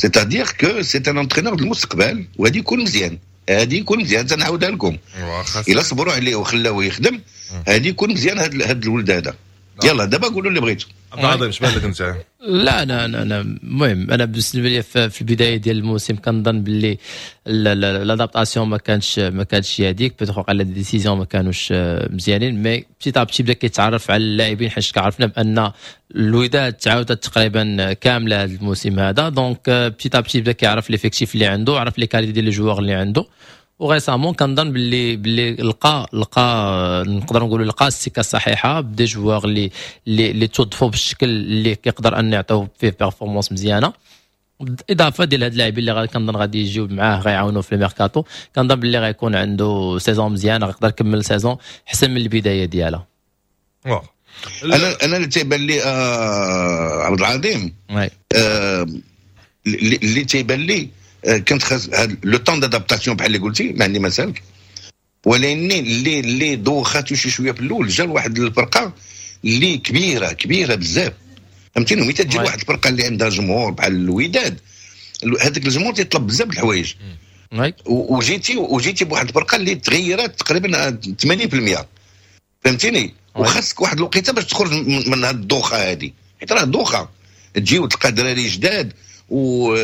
c'est-à-dire que c'est un entraîneur المستقبل، وهادي يكون مزيان، هادي يكون مزيان. تنعاودها لكم، الا صبروا عليه وخلاوه يخدم هادي يكون مزيان هاد هاد الولد هذا. يلا دابا قولوا اللي بغيتو. عبد العظيم، اش بان لك انت؟ لا، انا انا انا المهم انا بالنسبة لي في البداية ديال الموسم كنظن باللي l'adaptation ما كانش ما كانتش هذيك، peut-être على des décisions ما كانوش مزيانين، mais petit à petit بدا كيتعرف على اللاعبين، حيت عرفنا بان الوداد تعاودت تقريبا كاملة هذا الموسم هذا، donc petit à petit بدا كيعرف l'effectif اللي عنده، عرف les qualités ديال les joueurs اللي عنده، و récemment كنظن باللي باللي لقى لقى نقدر نقولوا لقى السكة الصحيحة ب des joueurs اللي اللي اللي توظفوا بالشكل اللي كيقدر ان يعطيو فيه performance مزيانه، بالاضافة ديال هاد اللاعبين اللي غادي كنظن غادي يجيو معاه غيعاونوا في الميركاتو. كنظن باللي غيكون عنده saison مزيانه، غيقدر يكمل saison احسن من البداية ديالها. انا انا اللي تيبان لي آه عبد العظيم آه اللي تيبان لي آه كانت خاص le temps d'adaptation بحال اللي قلتي، ما عندي ما سالك، ولكن اللي اللي دوخاتو شي شوية في الاول، جا لواحد الفرقة اللي كبيرة كبيرة بزاف، فهمتيني؟ ملي تجي لواحد الفرقة اللي عندها جمهور بحال الوداد، هذاك الجمهور تيطلب بزاف الحوايج، وجيتي وجيتي بواحد الفرقة اللي تغيرت تقريبا ثمانين في المية، فهمتيني؟ وخاصك واحد الوقيته باش تخرج من هذه الدوخه هذه، حيت راه دوخه تجي وتلقى دراري جداد و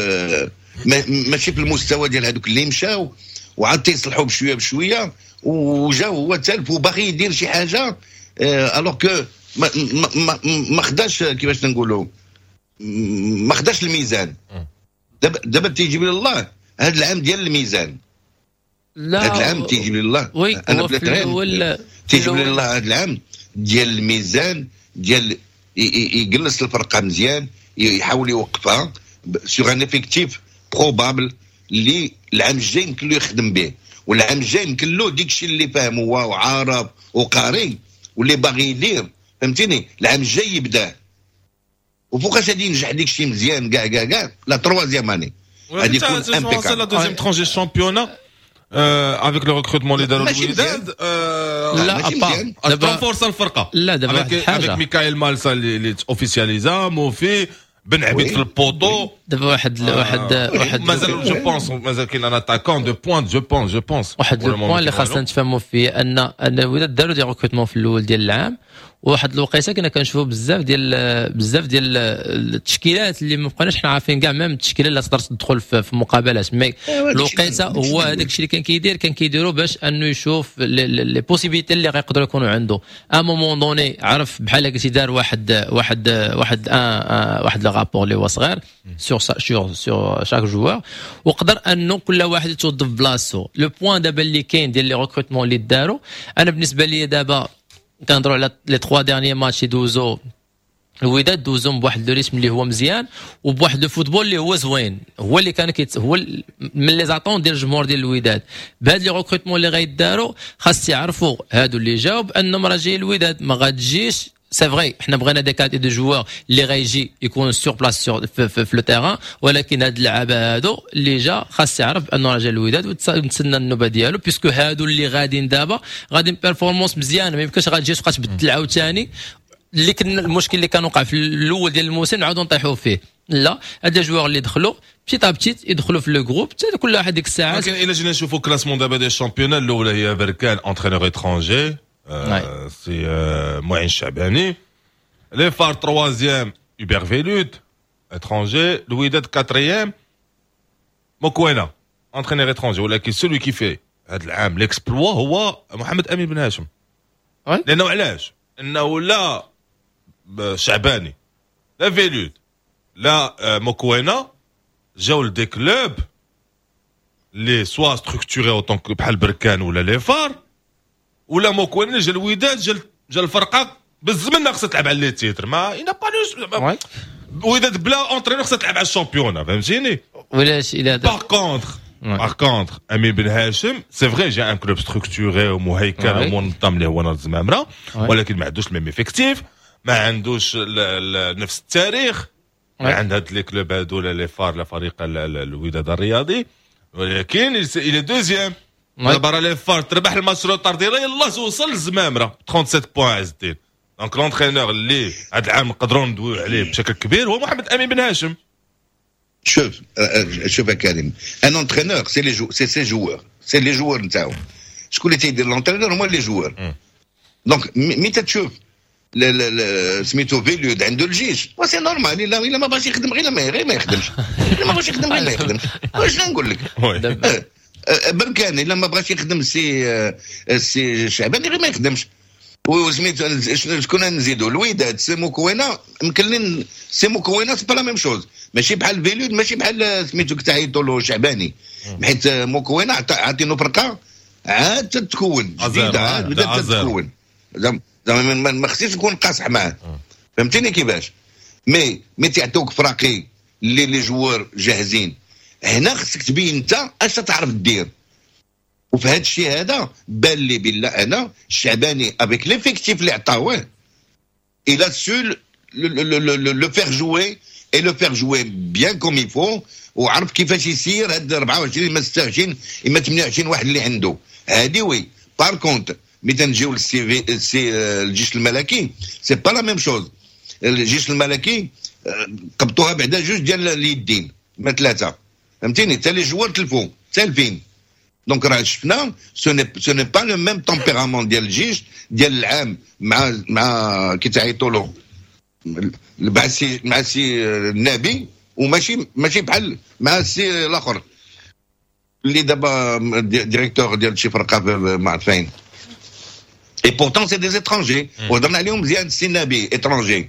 ماشي في المستوى ديال هذوك اللي مشاو، وعاد تيصلحوا بشوية بشويه، وجا هو تالف وباغي يدير شي حاجة alors que ما ما ما خداش، كيفاش نقولوا، ما خداش الميزان. دابا دابا تيجيب لي الله هذا العام ديال الميزان. لا، هذا العام تيجيب لي الله oui انا بلا تيجيب لي الله هذا العام ديال الميزان، ديال يجلس الفرقة مزيان، يحاول يوقفها sur un effectif probable اللي العام الجاي يمكن له يخدم به، والعام الجاي يمكن له ديك الشيء اللي فاهم هو وعارف وقاري واللي باغي يدير، فهمتيني؟ العام الجاي يبدا، وفوقاش غادي ينجح ديك الشيء مزيان كاع كاع كاع؟ la troisième année غادي يكون impeccable. la deuxième tranche du championnat avec le recrutement اللي داروا الوداد. لا، دابا فرصة الفرقة. لا، دابا avec ميكائيل مالسا اللي officialisa، موفي بن عبيد في ال poteau. دابا واحد واحد واحد مازال je pense مازال كاين un attaquant de pointe، je pense je pense. واحد le point اللي خاصنا نتفاهموا فيه ان ان الوداد داروا des recrutements في الاول ديال العام، وواحد الوقيته كنا كنشوفوا بزاف ديال بزاف ديال التشكيلات اللي ما بقيناش حنا عارفين كاع même التشكيلة اللي تقدر تدخل في, في مقابلات، mais الوقيته هو هذاك الشيء اللي كان كيدير كان كيديرو باش انه يشوف les possibilités اللي غيقدروا يكونوا عنده. à un moment donné عرف بحال قلتي دار واحد واحد واحد un واحد le rapport اللي هو صغير sur sur sur chaque joueur، وقدر انه كل واحد يتوظف بلاصتو. le point دابا اللي كاين ديال les recrutements اللي داروا، انا بالنسبة لي دابا كنهضروا على les trois derniers matchs يدوزو الوداد، دوزهم بواحد le rythme اللي هو مزيان وبواحد le football اللي هو زوين، هو اللي كان كيت هو من les attentes ديال الجمهور ديال الوداد. بهاد les recrutements اللي غيداروا خاص يعرفوا هادو اللي جاو بانهم راه جاي الوداد ما غاتجيش. c'est vrai حنا بغينا des qualités de joueurs اللي غيجي يكون sur place sur في, في, في le terrain، ولكن هاد اللعابه هادو اللي جا خاص يعرف انه راه جا الوداد وتسنى النوبة ديالو، puisque هادو اللي غاديين دابا غاديين performance مزيانه، ما يمكنش غادي تجي تبقى تبدل عاوتاني. اللي كنا المشكل اللي كان وقع في الاول ديال الموسم نعاودو نطيحوا فيه. لا، هاد les joueurs اللي دخلوا petit à petit يدخلوا في le groupe كل واحد ديك الساعات. ولكن الا جينا نشوفوا classement دابا ديال ال championnat، الاولى هي بركان entraîneur étranger. آه سي آه معين الشعباني. les FAR troisième، Hubert Velud étranger. الوداد quatrième، موكوينا entraîneur étranger. ولكن celui qui fait هذا العام l'exploit هو محمد امين بن هاشم. لانه علاش؟ انه لا شعباني لا فيلود لا موكوينا جاو ل des clubs اللي soit structurés autant بحال بركان ولا les FAR، ولا موكوينا جا الوداد، جا جا الفرقة بالزمن خصها تلعب على les titres، ما il n'a pas وداد بلا entraîneur خصها تلعب على ال championnat، فهمتيني؟ ولاش الى par contre par contre امين بن هاشم، c'est vrai، جا un club structuré ومهيكل ومنظم اللي هو نهضة الزمامره، ولكن ما عندوش ال même effectif، ما عندوش نفس التاريخ عند هاد les clubs هادو، لا les FAR لا فريق الوداد الرياضي، ولكن il est deuxième. دابا راه les FAR تربح الماتش retard ديالها، يلاه توصل للزمامره، سبعة وثلاثين points عز الدين. donc l'entraîneur اللي هذا العام نقدروا ندويو عليه بشكل كبير هو محمد امين بن هاشم. شوف شوف يا كريم، un entraîneur c'est les jou c'est ses joueurs، c'est les joueurs نتاعو. شكون اللي تيدير l'entraîneur؟ هما les joueurs. donc مي تشوف سميتو فيليود عنده الجيش، c'est normal. الا الا ما بغاش يخدم غير ما غير ما يخدمش، الا ما بغاش يخدم غير ما يخدمش. واش نقول لك؟ بركان الا ما بغاش يخدم سي السي شعباني غير ما يخدمش. وسميتو شكون نزيدو؟ الوداد سي موكوينا يمكن، سي موكوينا c'est pas la même chose، ماشي بحال فيلود، ماشي بحال سميتو كتعيطوا له شعباني، حيت موكوينا عاطينو فرقه عاد تتكون جديده، عاد بدات تتكون، زعما ما خصنيش نكون قاصح معاه، فهمتيني كيفاش؟ mais mais تعطوك فراقي اللي les joueurs جاهزين، هنا خصك تبين انت اش تعرف دير. وفي هذا الشيء هذا بان لي بالله انا الشعباني avec l'effectif اللي عطاوه il a su le faire jouer et le faire jouer bien comme il faut، وعرف كيفاش يسير هاد أربعة وعشرين اما ستة وعشرين اما ثمانية وعشرين واحد اللي عنده هادي. oui، par contre ملي تنجيو للسي سي الجيش الملكي c'est pas la même chose. الجيش الملكي قبطوها بعدا جوج ديال اليدين ما ثلاثه، فهمتيني؟ حتى les joueurs تلفوا تالفين. donc راه شفنا ce n'est pas le même tempérament ديال الجيش ديال العام مع مع كي تعيطوا له مع السي مع السي النبي، وماشي ماشي بحال مع السي الاخر اللي دابا directeur ديال شي فرقه ما عرفت فين. et pourtant c'est des étrangers، وهضرنا عليهم مزيان. السي النبي étranger،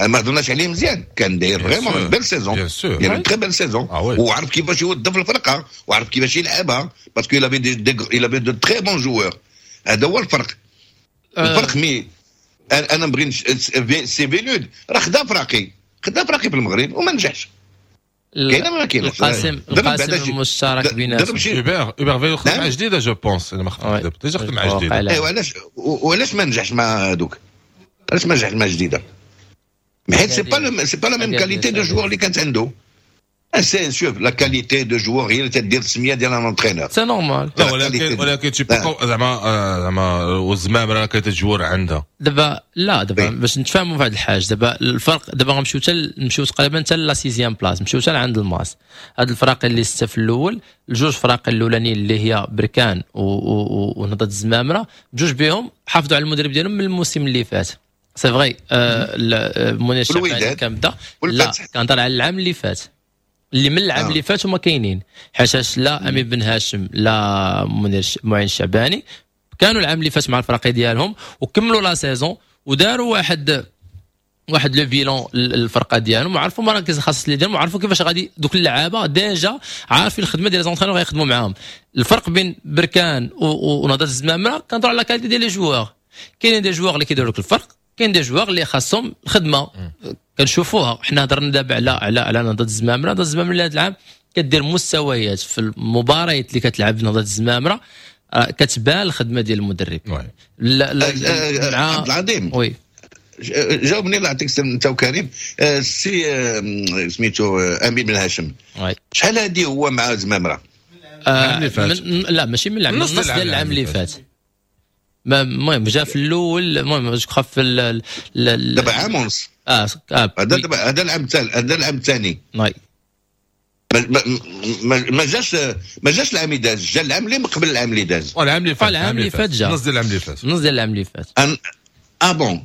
ما هضرناش عليه مزيان، كان داير vraiment belle saison، داير très belle saison، وعرف كيفاش يوظف الفرقة وعرف كيفاش يلعبها parce que il avait des il avait de très bons joueurs. هذا هو الفرق الفرق mais انا نبغي سي فيلود راه خدا فراقي خدا فراقي في المغرب وما نجحش. كاينه ما كاينش؟ القاسم القاسم المشترك بيناتهم. هوبر هوبر فيلود خدم مع جديده، je pense، انا ما خدمت déjà، خدم مع جديده. ايوا علاش وعلاش ما نجحش مع هذوك؟ علاش ما نجحش مع جديده؟ حيت c'est pas c'est pas la même qualité de joueurs اللي كانت عنده. c'est شوف la qualité de joueurs هي اللي تدير السمية ديال un entraîneur. c'est normal. لا، ولكن ولكن tu زعما زعما والزمام راه qualité joueurs عندها. دابا لا، دابا باش نتفاهموا في هذه الحاجه، دابا الفرق، دابا غنمشيو حتى نمشيو تقريبا حتى la sixième place، نمشيو حتى عند الماس. هاد الفرق اللي ستة في الاول، الجوج فرق الاولانيين اللي هي بركان ونهضه الزمامره، بجوج بهم حافظوا على المدرب ديالهم من الموسم اللي فات. c'est vrai، منير الشعباني كان بدا، لا، كنهضر على العام اللي فات، اللي من العام آه. اللي فات هما كاينين، حيتاش لا امين بن هاشم لا منير معين الشعباني كانوا العام اللي فات مع الفرق ديالهم وكملوا la saison وداروا واحد واحد le bilan الفرقة ديالهم وعرفوا المراكز الخاصة اللي ديالهم وعرفوا كيفاش غادي دوك اللعابه déjà عارفين الخدمة ديال les entraîneurs غيخدموا معاهم. الفرق بين بركان ونهضه الزمامره كنهضروا على qualité ديال les joueurs. كاينين des joueurs اللي كيديروا لك الفرق، كاين des joueurs اللي خاصهم الخدمه، كنشوفوها. حنا هضرنا دابا على على على نهضة الزمامره. نهضة الزمامره هذا العام كدير مستويات في المباريات اللي كتلعب نهضة الزمامره، آه، كتبان الخدمة ديال المدرب. لا لا، عبد العظيم. oui. جاوبني الله يعطيك انت وكريم. السي سميتو امين بن هاشم، شحال هادي هو مع زمامره؟ آه من لا، ماشي من العام، النص ديال العام اللي فات. المهم جا في الاول، المهم جو في دابا عام ونص. اه, آه هذا دابا هذا العام الثاني، هذا العام الثاني. oui. ما, ما, ما جاش ما جاش العام اللي داز، جا العام اللي من قبل العام اللي داز. العام اللي فات، العام اللي فات جا النص ديال العام اللي فات، النص ديال العام اللي فات. ah bon،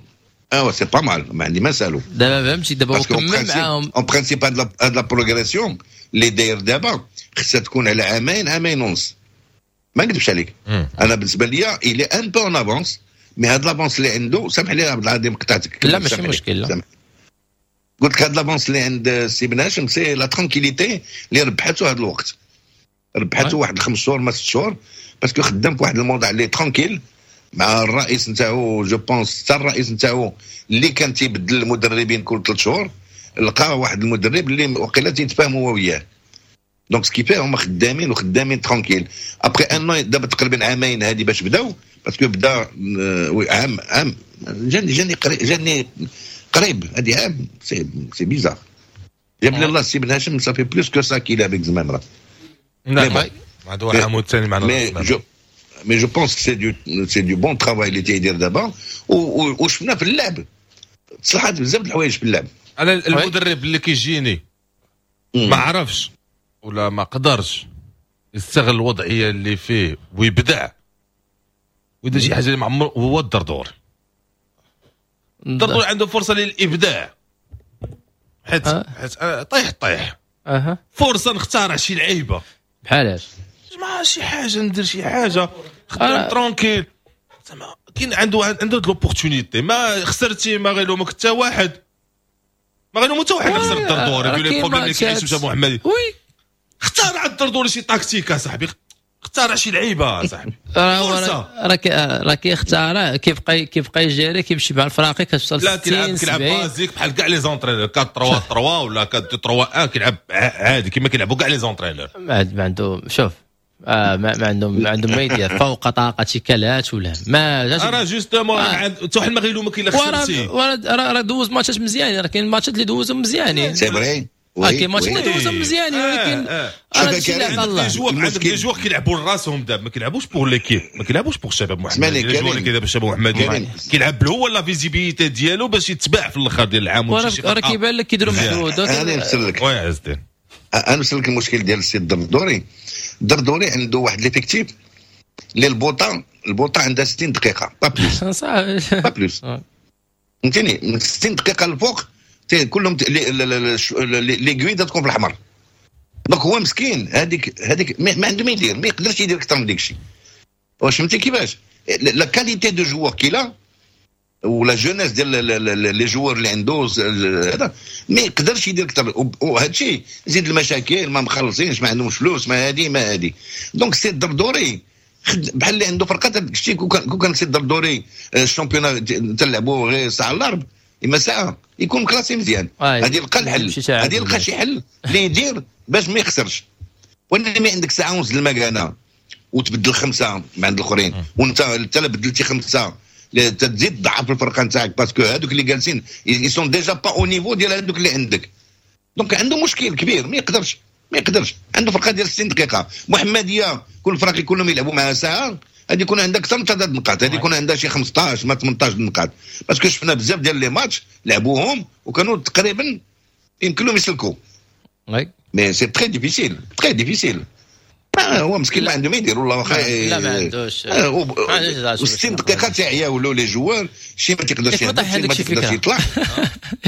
اه c'est pas mal، ما عندي ما نسالو. دابا فهمتي، دابا هو كمل معاهم. en principe هاد la progression اللي داير دابا خصها تكون على عامين، عامين ونص، ما نكذبش عليك. انا بالنسبة ليا il est un peu en avance، mais هاد l'avance اللي عنده، سامح لي عبد العظيم قطعتك. لا ماشي مشكل. لا قلت لك هاد l'avance اللي عند سي بن هاشم c'est la tranquillité اللي ربحته هاد الوقت، ربحته واحد خمس شهور ما ست شهور، parce que خدام في واحد الموضع اللي tranquille مع الرئيس نتاعو. je pense حتى الرئيس نتاعو اللي كان تيبدل المدربين كل ثلاث شهور لقى واحد المدرب اللي وقيلا تيتفاهموا هو وياه، donc ce qui fait هما خدامين وخدامين tranquille après un an. دابا تقريبا عامين هذه باش بداو، parce que بدا عام عام جاني جاني قريب جاني قريب هذه عام، c'est c'est bizarre. جاب لي الله سي بن هاشم ça fait plus que ça qu'il est avec زمامرة. نعم، هذا هو العام الثاني معنا. mais je mais je pense c'est du c'est du bon travail اللي تيدير دابا، وشفنا في اللعب تصلحات بزاف د الحوايج في اللعب. انا المدرب اللي كيجيني ما عرفش ولا ما قدرش يستغل الوضعية اللي فيه ويبدع ويدير شي حاجة اللي معمر هو الدردور. الدردور عنده فرصة للابداع حيت أه. حيت طيح طيح اها فرصة نختارع شي لعيبه. بحالاش؟ ما شي حاجه، ندير شي حاجه، خدام tranquille، زعما كاين عنده عنده l'opportunité. ما خسرتي ما غيلومك حتى واحد، ما غيلومو حتى واحد خسر الدردوري في les problèmes اللي كيعيش مشى محمدي. oui اختار الدردوري شي tactique صاحبي، اختار شي لعيبة صاحبي. راه راه كيختار، كيبقى كيبقى يجري، كيمشي مع الفراقي كتوصل. لا كيلعب كيلعب basique بحال كاع les entraîneurs، أربعة ثلاثة ثلاثة ولا أربعة ثلاثة واحد، كيلعب عادي كما كيلعبوا كاع les entraîneurs. ما عنده، شوف آه ما, ما عندهم ما عندهم ما يدير، فوق طاقة كلات ولا ما. راه justement حتى واحد ما غيلومك الا خسرتي. راه راه دوز ماتشات مزيانين، راه كاين ماتشات اللي دوزهم مزيانين. c'est vrai. كاين ماتشات اللي دوزهم مزيانين، ولكن راه هادشي اللي عطا الله. عندك des joueurs كيلعبوا لراسهم دابا، ما كيلعبوش pour l'équipe، ما كيلعبوش pour الشباب محمدي. les joueurs اللي كيلعب الشباب محمدي كيلعب هو la visibilité ديالو باش يتباع في الاخر ديال العام. راه كيبان لك كيديروا مجهود. انا نفسر لك. oui عز الدين. انا نفسر لك المشكل ديال السي الدردوري. الدردوري عنده واحد l'effectif اللي البوطه البوطه عندها ستين دقيقة pas plus، pas plus، فهمتيني؟ من ستين دقيقة الفوق كلهم les aiguilles تكون في الاحمر. donc هو مسكين هذيك هذيك ما عنده ما يدير، ما يقدرش يدير اكثر من ديك الشيء. واش فهمتي كيفاش la qualité de joueurs qu'il a و la jeunesse ديال les joueurs اللي عنده هذا ما يقدرش يدير اكثر. وهذا الشيء زيد المشاكل، ما مخلصينش، ما عندهمش فلوس، ما هادي ما هادي. donc سي الدردوري بحال اللي عنده فرقه. شتي كون كان سي الدردوري ال championnat تلعبوا غير ساعة الارب اما ساعة يكون classé مزيان. هذه يلقى الحل، هذه يلقى شي حل اللي يدير باش ما يخسرش. وانما عندك ساعة ونص المكانة وتبدل خمسة مع عند الاخرين، وانت انت بدلتي خمسة تزيد تضعف الفرقة نتاعك، parce que هذوك اللي جالسين ils sont déjà pas au niveau ديال هذوك اللي عندك. donc عنده مشكل كبير، ما يقدرش ما يقدرش. عنده فرقه ديال ستين دقيقه. محمديه كل فرق كلهم يلعبوا معها ساعه، هذه يكون عندها اكثر من ثلاث نقاط، هذه يكون عندها شي خمسطاش ما ثمنطاش نقاط، parce que شفنا بزاف ديال les matchs لعبوهم وكانوا تقريبا يمكن لهم يسلكوا، mais c'est très difficile، très difficile. هو مسكين ما عنده ما يدير والله. واخا لا ما عندوش. ستين دقيقة تاع ولاو les joueurs شي ما تيقدرش يهبط، شي ما تيقدرش يطلع.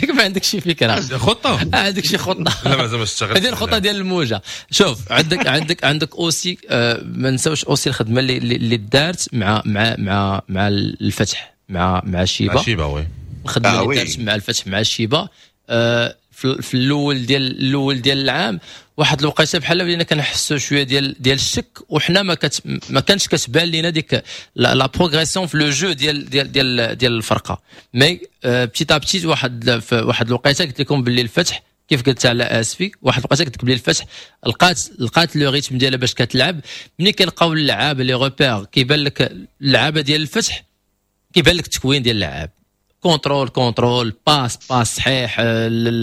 ياك ما عندك شي فكره؟ خطه؟ عندك شي خطه؟ لا مازال ما اشتغلت. هذه الخطة ديال الموجه. شوف عندك عندك عندك aussi ما نساوش aussi الخدمة اللي اللي دارت مع مع مع مع الفتح، مع مع شيبة. مع شيبة oui. الخدمة اللي دارت مع الفتح مع شيبة في الاول ديال الاول ديال العام، واحد الوقيته بحال بدينا كنحسوا شوية ديال ديال الشك، وحنا ما كت ما كانش كتبان لينا ديك la progression في le jeu ديال ديال ديال ديال الفرقه. mais petit à petit واحد في واحد الوقيته قلت لكم باللي الفتح كيف قلت على اسفي، واحد الوقيته قلت لك باللي الفتح لقات لقات le rythme ديالها باش كتلعب. ملي كنلقاو اللعابه les repères كيبان لك اللعابه ديال الفتح، كيبان لك التكوين ديال اللعاب، contrôle contrôle، passe passe صحيح،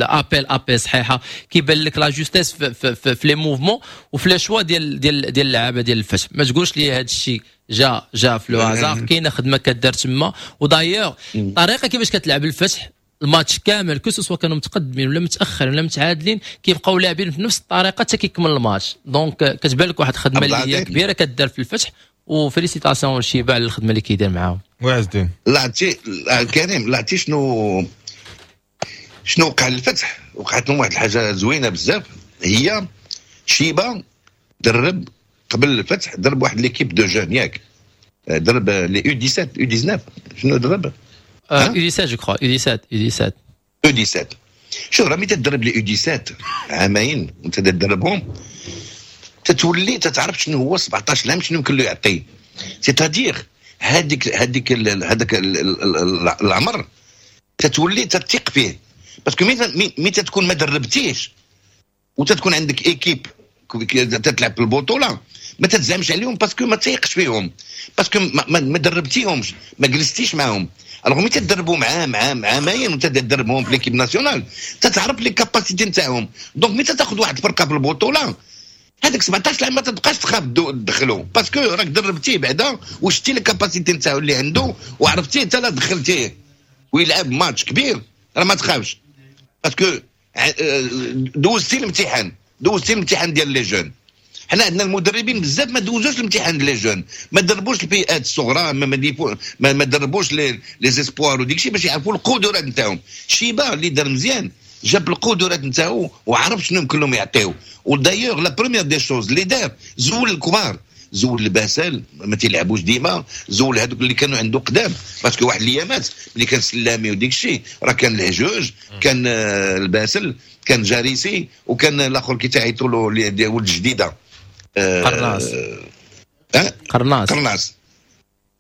l'appel appel صحيحه، كيبان لك la justesse في, في, في, في les mouvements وفي les choix ديال ديال ديال اللعابه ديال الفتح. ما تقولش لي هذا الشيء جا جا في le hasard، كاينه خدمة كدار تما. و d'ailleurs الطريقة كيفاش كتلعب الفتح الماتش كامل que ce soit كانوا متقدمين ولا متاخرين ولا متعادلين كيبقاو لاعبين في نفس الطريقة حتى كيكمل الماتش. donc كتبان لك واحد الخدمة اللي هي كبيرة كدار في الفتح، و félicitations لشيبا على الخدمة اللي كيدير معاهم. وعزدين لا كريم، لا عرفتي شنو شنو وقع للفتح؟ وقعت لهم واحد الحاجة زوينة بزاف، هي شيبا درب قبل الفتح، درب واحد l'équipe de jeunes ياك، درب les U dix-sept U dix-neuf، شنو درب؟ U dix-sept je crois، U dix-sept U dix-sept U dix-sept. شوف راه ملي تدرب les U dix-sept عامين وانت تدربهم تتولي تتعرف شنو هو سبعطاش عام شنو يمكن له يعطي، c'est-à-dire هذيك هذيك هذاك العمر تتولي تثق فيه، parce que مي تتكون ما دربتيش وتتكون عندك équipe تتلعب في البطولة ما تتزعمش عليهم parce que ما تيقش فيهم، parce que ما, ما دربتيهمش، ما جلستيش معاهم. alors ملي تدربوا معاه عام عامين وانت تدربهم في l'équipe nationale تتعرف les capacités نتاعهم. donc ملي تاخذ واحد الفرقة في البطولة هذاك سبعطاش عام ما تبقاش تخاف تدخلو، parce que راك دربتيه بعدا وشتي les capacités نتاعو اللي عنده وعرفتيه انت لا دخلتيه ويلعب ماتش كبير راه ما تخافش، parce que دوزتي الامتحان، دوزتي الامتحان ديال les jeunes. حنا عندنا المدربين بزاف ما دوزوش الامتحان ديال les jeunes، ما دربوش الفئات الصغرى، ما ما, ما دربوش les les espoirs وديك الشيء باش يعرفوا القدرات نتاعهم. شيبا اللي دار مزيان جاب القدرات نتاعو وعرف شنو يمكن لهم يعطيو. و d'ailleurs la première des choses اللي دار زول الكبار، زول الباسل ما تيلعبوش ديما، زول هذوك اللي كانوا عنده قدام، parce que واحد الايامات ملي كان سلامي وديك الشيء راه كان الهجوج، كان الباسل، كان جاريسي، وكان الاخر كي تعيطوا له ولد الجديدة قرناس أه؟ قرناس قرناس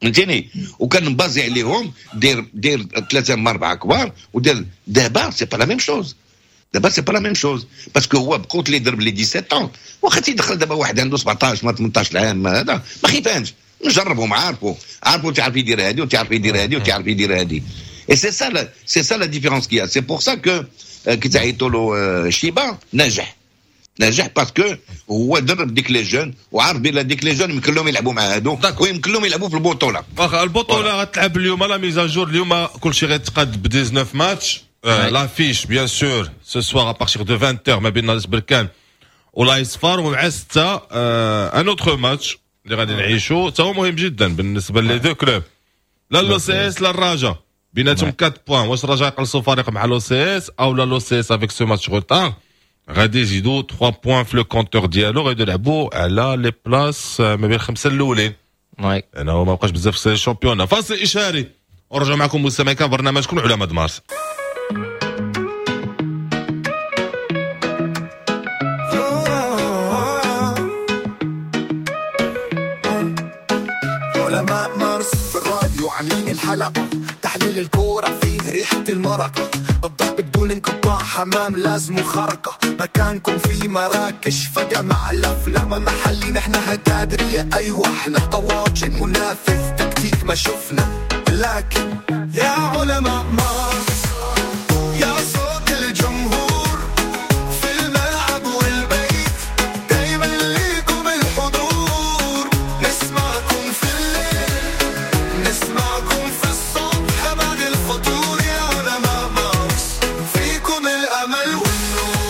فهمتيني، وكان مبازي عليهم دير دير ثلاثة من اربعة كبار ودير. دابا c'est pas la même chose، دابا c'est pas la même chose، parce que هو بقوت اللي ضرب les dix-sept ans واخا تيدخل دابا واحد عنده سبعطاش ما ثمنطاش عام هذا ما خيفانش، نجربهم، عارفوا عارفوا تعرف يدير هذه وتعرف يدير هذه وتعرف يدير هذه. et c'est ça c'est ça la différence qu'il y a، c'est pour ça que كي تعيطوا له شيبا ناجح ناجح parce que هو درب ديك les jeunes وعارف بلي ديك les jeunes يمكن لهم يلعبوا مع هادو ويمكن لهم يلعبوا في البطولة. واخا البطولة غتلعب اليوم la mise à jour، اليوم كلشي غيتقاد ب dix-neuf matchs. l'affiche bien sûr ce soir à partir de vingt heures ما بين نادي بركان ولايس فار، ومع ستة un autre match اللي غادي نعيشو تا هو مهم جدا بالنسبة les deux clubs، لا l'OCS لا الرجاء، بيناتهم quatre points. واش الرجاء يقلصوا فريق مع l'OCS او لا l'OCS avec ce match retard غادي يزيدوا ثلاثة points في le compteur ديالو، غادي يلعبوا على les places ما بين الخمسة الاولين. oui انا ما بقاش بزاف في ال championnat. فاصل اشاري ونرجع معكم مستمعين كان برنامجكم علماء مارس. علماء مارس في الراديو عاملين الحلقة، تحليل الكورة فيه ريحة المرقة، الضرب بدون انقطاع، حمام لازم خرقة، مكانكم في مراكش فجأة مع الأفلام محلي، نحن هتادرية أيوة احنا طواجن منافس تكتيك ما شفنا، لكن يا علماء مارس يا صوت الجمهور في الملعب والبيت دايما ليكم الحضور، نسمعكم في الليل نسمعكم في الصبح بعد الفطور، يا علماء مارس فيكم الأمل والنور.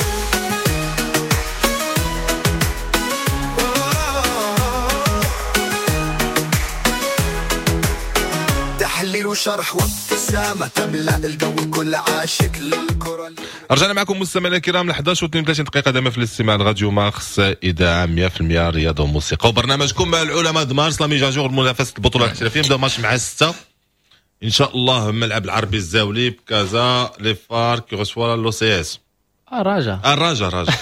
تحليل وشرح وابتسامة تملأ الجو، كل عاشق للكرة. رجعنا معكم مستمعينا الكرام ل إحدى عشر واثنين وثلاثين دقيقة دائما في الاستماع لراديو مارس إذاعة مية بالمية رياضة وموسيقى، وبرنامجكم العلماء د مارس la mise à jour منافسة البطولة الاحترافية. نبداو ماتش مع ستة إن شاء الله، ملعب العربي الزاولي بكازا، les FAR qui reçoit l'OCS. الرجاء الرجاء الرجاء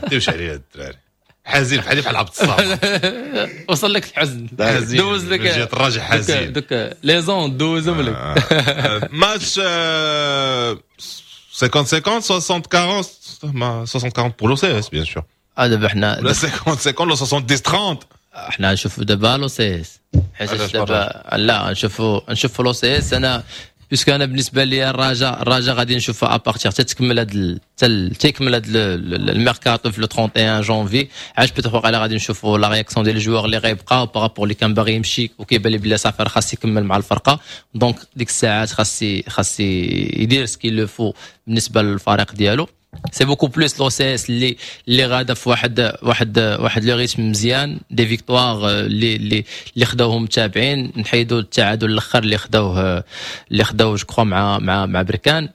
ديوش عليا الدراري، حزين بحالي بحال عبد الصمد، وصل لك الحزن، دوز لك جات الراجع حزين، دوك les ondes دوزهم لك. ماتش خمسين خمسين ستين أربعين، ما ستين أربعين pour l'OCS bien sûr. دابا حنا ولا خمسين خمسين ولا سبعين ثلاثين، حنا نشوفوا دابا l'OCS، حيت دابا لا نشوفوا نشوفوا l'OCS. انا puisque انا بالنسبة لي الرجاء الرجاء غادي نشوفها à partir تتكمل هاد تيكمل هاد الميركاتو في le trente et un جونفي، علاش peut-être واقيلا غادي نشوفوا la réaction ديال les joueurs اللي غيبقاو par rapport اللي كان باغي يمشي وكيبان لي بلي صافي راه خاص يكمل مع الفرقه. donc ديك الساعات خاص خاص يدير ce qu'il le faut بالنسبة للفريق ديالو. c'est beaucoup plus l'OCS اللي اللي غادا في واحد واحد واحد le rythme مزيان، des victoires اللي اللي اللي خداوهم متابعين، نحيدوا التعادل الاخر اللي خداوه اللي خداوه je crois مع مع مع بركان.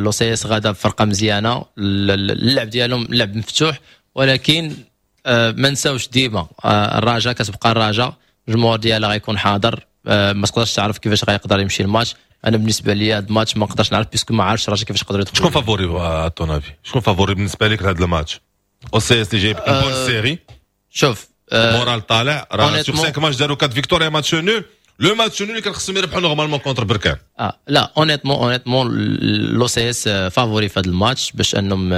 l'OCS غادا بفرقة مزيانه، اللعب ديالهم لعب مفتوح، ولكن ما نساوش ديما الرجاء كتبقى الرجاء، الجمهور ديالها غيكون حاضر، ما تقدرش تعرف كيفاش غيقدر يمشي الماتش. انا بالنسبة لي هذا الماتش ما نقدرش نعرف puisque ما عارفش الرجاء كيفاش يقدروا يدخلوا. شكون favori à ton avis؟ شكون favori بالنسبة لك لهذا الماتش؟ OCS اللي جايب une bonne série. شوف، moral طالع، راه sur cinq matchs داروا quatre victoires، match nul، le match nul اللي كان خصهم يربحوا normalement contre بركان. اه لا، honnêtement honnêtement l'OCS favori في هذا الماتش باش انهم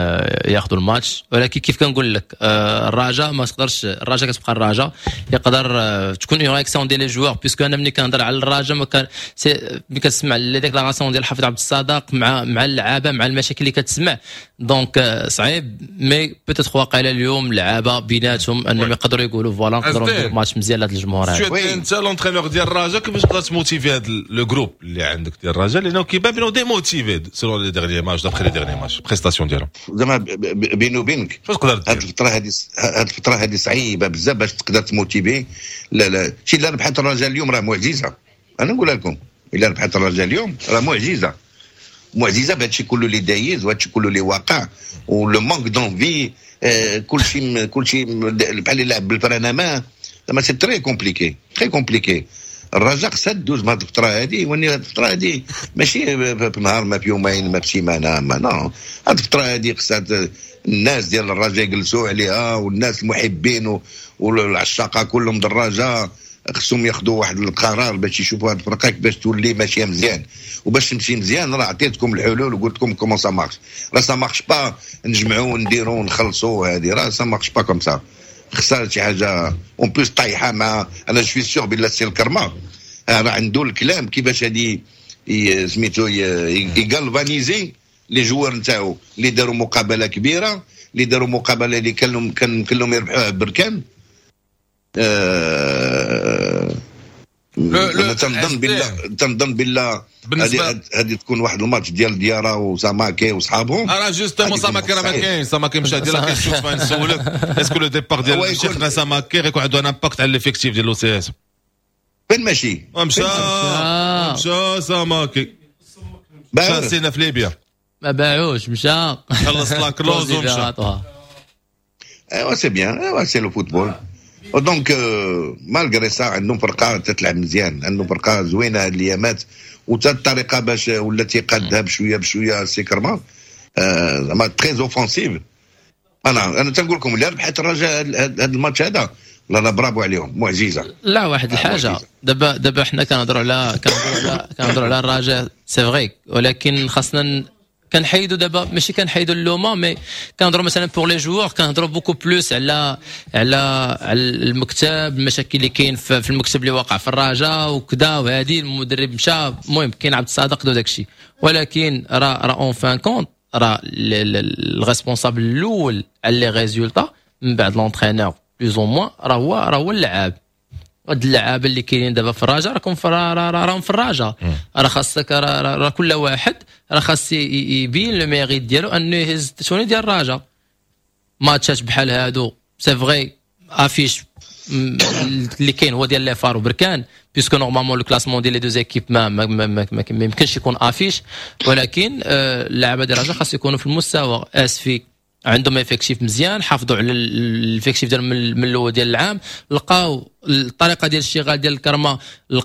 ياخذوا الماتش، ولكن كيف كنقول لك الرجاء ما تقدرش، الرجاء كتبقى الرجاء، يقدر تكون une réaction ديال les joueurs، puisque انا ملي كنهضر على الرجاء ما كان ملي كتسمع les déclarations ديال حفيظ عبد الصادق مع مع اللعابه، مع المشاكل اللي كتسمع، donc صعيب. mais peut-être واقيلا اليوم اللعابه بيناتهم انهم يقدروا يقولوا voilà نقدروا نديروا ماتش مزيان لهذا الجمهور هذا. انت l'entraîneur ديال الرجاء، كيفاش تقدر ت motiver هذا le groupe اللي عندك ديال الرجاء؟ لانه كيبان بانه démotivé selon les derniers matchs، d'après les derniers matchs prestations ديالهم. زعما بيني وبينك شنو تقدر هذه الفترة هذه هذه الفترة هذه صعيبة بزاف باش تقدر ت motiver. لا لا، شي الا ربحت الرجاء اليوم راه معجزه. انا نقول لكم الا ربحت الرجاء اليوم راه معجزه، معجزه بهذا الشيء كله اللي دايز وهذا الشيء كله اللي واقع و le manque d'envie، كل شيء كل شيء بحال اللي لعب بال frein à main. زعما c'est très compliqué، très compliqué. الرجاء خصها تدوز بهذه الفترة هذه، واني هذه الفترة هذه ماشي في نهار، ما في يومين، ما في سيمانه، ما non. هذه الفترة هذه خصها الناس ديال الرجاء يجلسوا عليها، والناس المحبين والعشاقه كلهم الرجاء خصهم ياخذوا واحد القرار باش يشوفوا هذه الفرقة كيفاش تولي ماشية مزيان. وباش تمشي مزيان راه عطيتكم الحلول وقلت لكم comment ça marche. راه ça marche pas نجمعوا ونديروا ونخلصوا، هذه راه ça marche pas comme ça. خسارة شي حاجة en plus طايحة مع انا je suis sûr بلا سي الكرمة راه عنده الكلام كيفاش هادي سميتو ي galvaniser les joueurs نتاعو اللي داروا مقابله كبيره، اللي داروا مقابله اللي كان كان يمكن لهم يربحوها بركان. آه انا تنظن بالله تنظن بالله هذه هذه تكون واحد الماتش ديال ديارا وساماكي وصحابهم. راه justement ساماكي راه ما كاينش، ساماكي مشى. ديال la question نسولك، est-ce que le départ ديال شيخنا ساماكي غيكون عنده un impact على l'effectif ديال l'OCS؟ فين ماشي؟ مشى مشى ساماكي، مشى سينا في ليبيا. ما باعوش، مشى. خلص la clause ومشى. ايوا c'est bien، ايوا c'est le football. donc malgré ça عندهم فرقه تتلعب مزيان، عندهم فرقه زوينة هاد الايامات، وتا الطريقة باش ولا تيقادها بشوية بشوية سي كرما، زعما très offensive. انا انا تنقول لكم اللي ربحت الرجاء هذا الماتش هذا، لا لا، برافو عليهم، معجزه. لا، واحد الحاجه، دابا دابا حنا كنهضروا على كنهضروا على كنهضروا على الرجاء، c'est vrai، ولكن خاصنا كنحيدوا دابا، ماشي كنحيدوا اللومه، mais كنهضروا مثلا pour les joueurs، كنهضروا beaucoup plus على على على المكتب، المشاكل اللي كاين في المكتب اللي واقع في الرجاء وكذا، وهذه المدرب مشى، المهم كاين عبد الصادق وداك الشيء، ولكن راه راه en fin de compte راه ال responsable الاول على les résultats من بعد l'entraîneur plus ou moins راه هو راه هو اللعاب. هاد اللعابه اللي كاينين دابا في الرجاء راكم في راهم في الرجاء، راه خاصك راه كل واحد راه خاص يبين le mérite ديالو انه يهز ال tenue ديال الرجاء. ماتشات بحال هادو، c'est vrai affiche اللي كاين هو ديال les FAR وبركان، puisque normalement le classement ديال les deux équipes ما ما, ما, ما, ما يمكنش يكون affiche، ولكن اللعابه ديال الرجاء خاص يكونوا في المستوى. اسفي عندهم effectif مزيان، حافظوا على l'effectif ديالهم من الاول ديال العام، لقاو الطريقة ديال الاشتغال ديال الكرمه،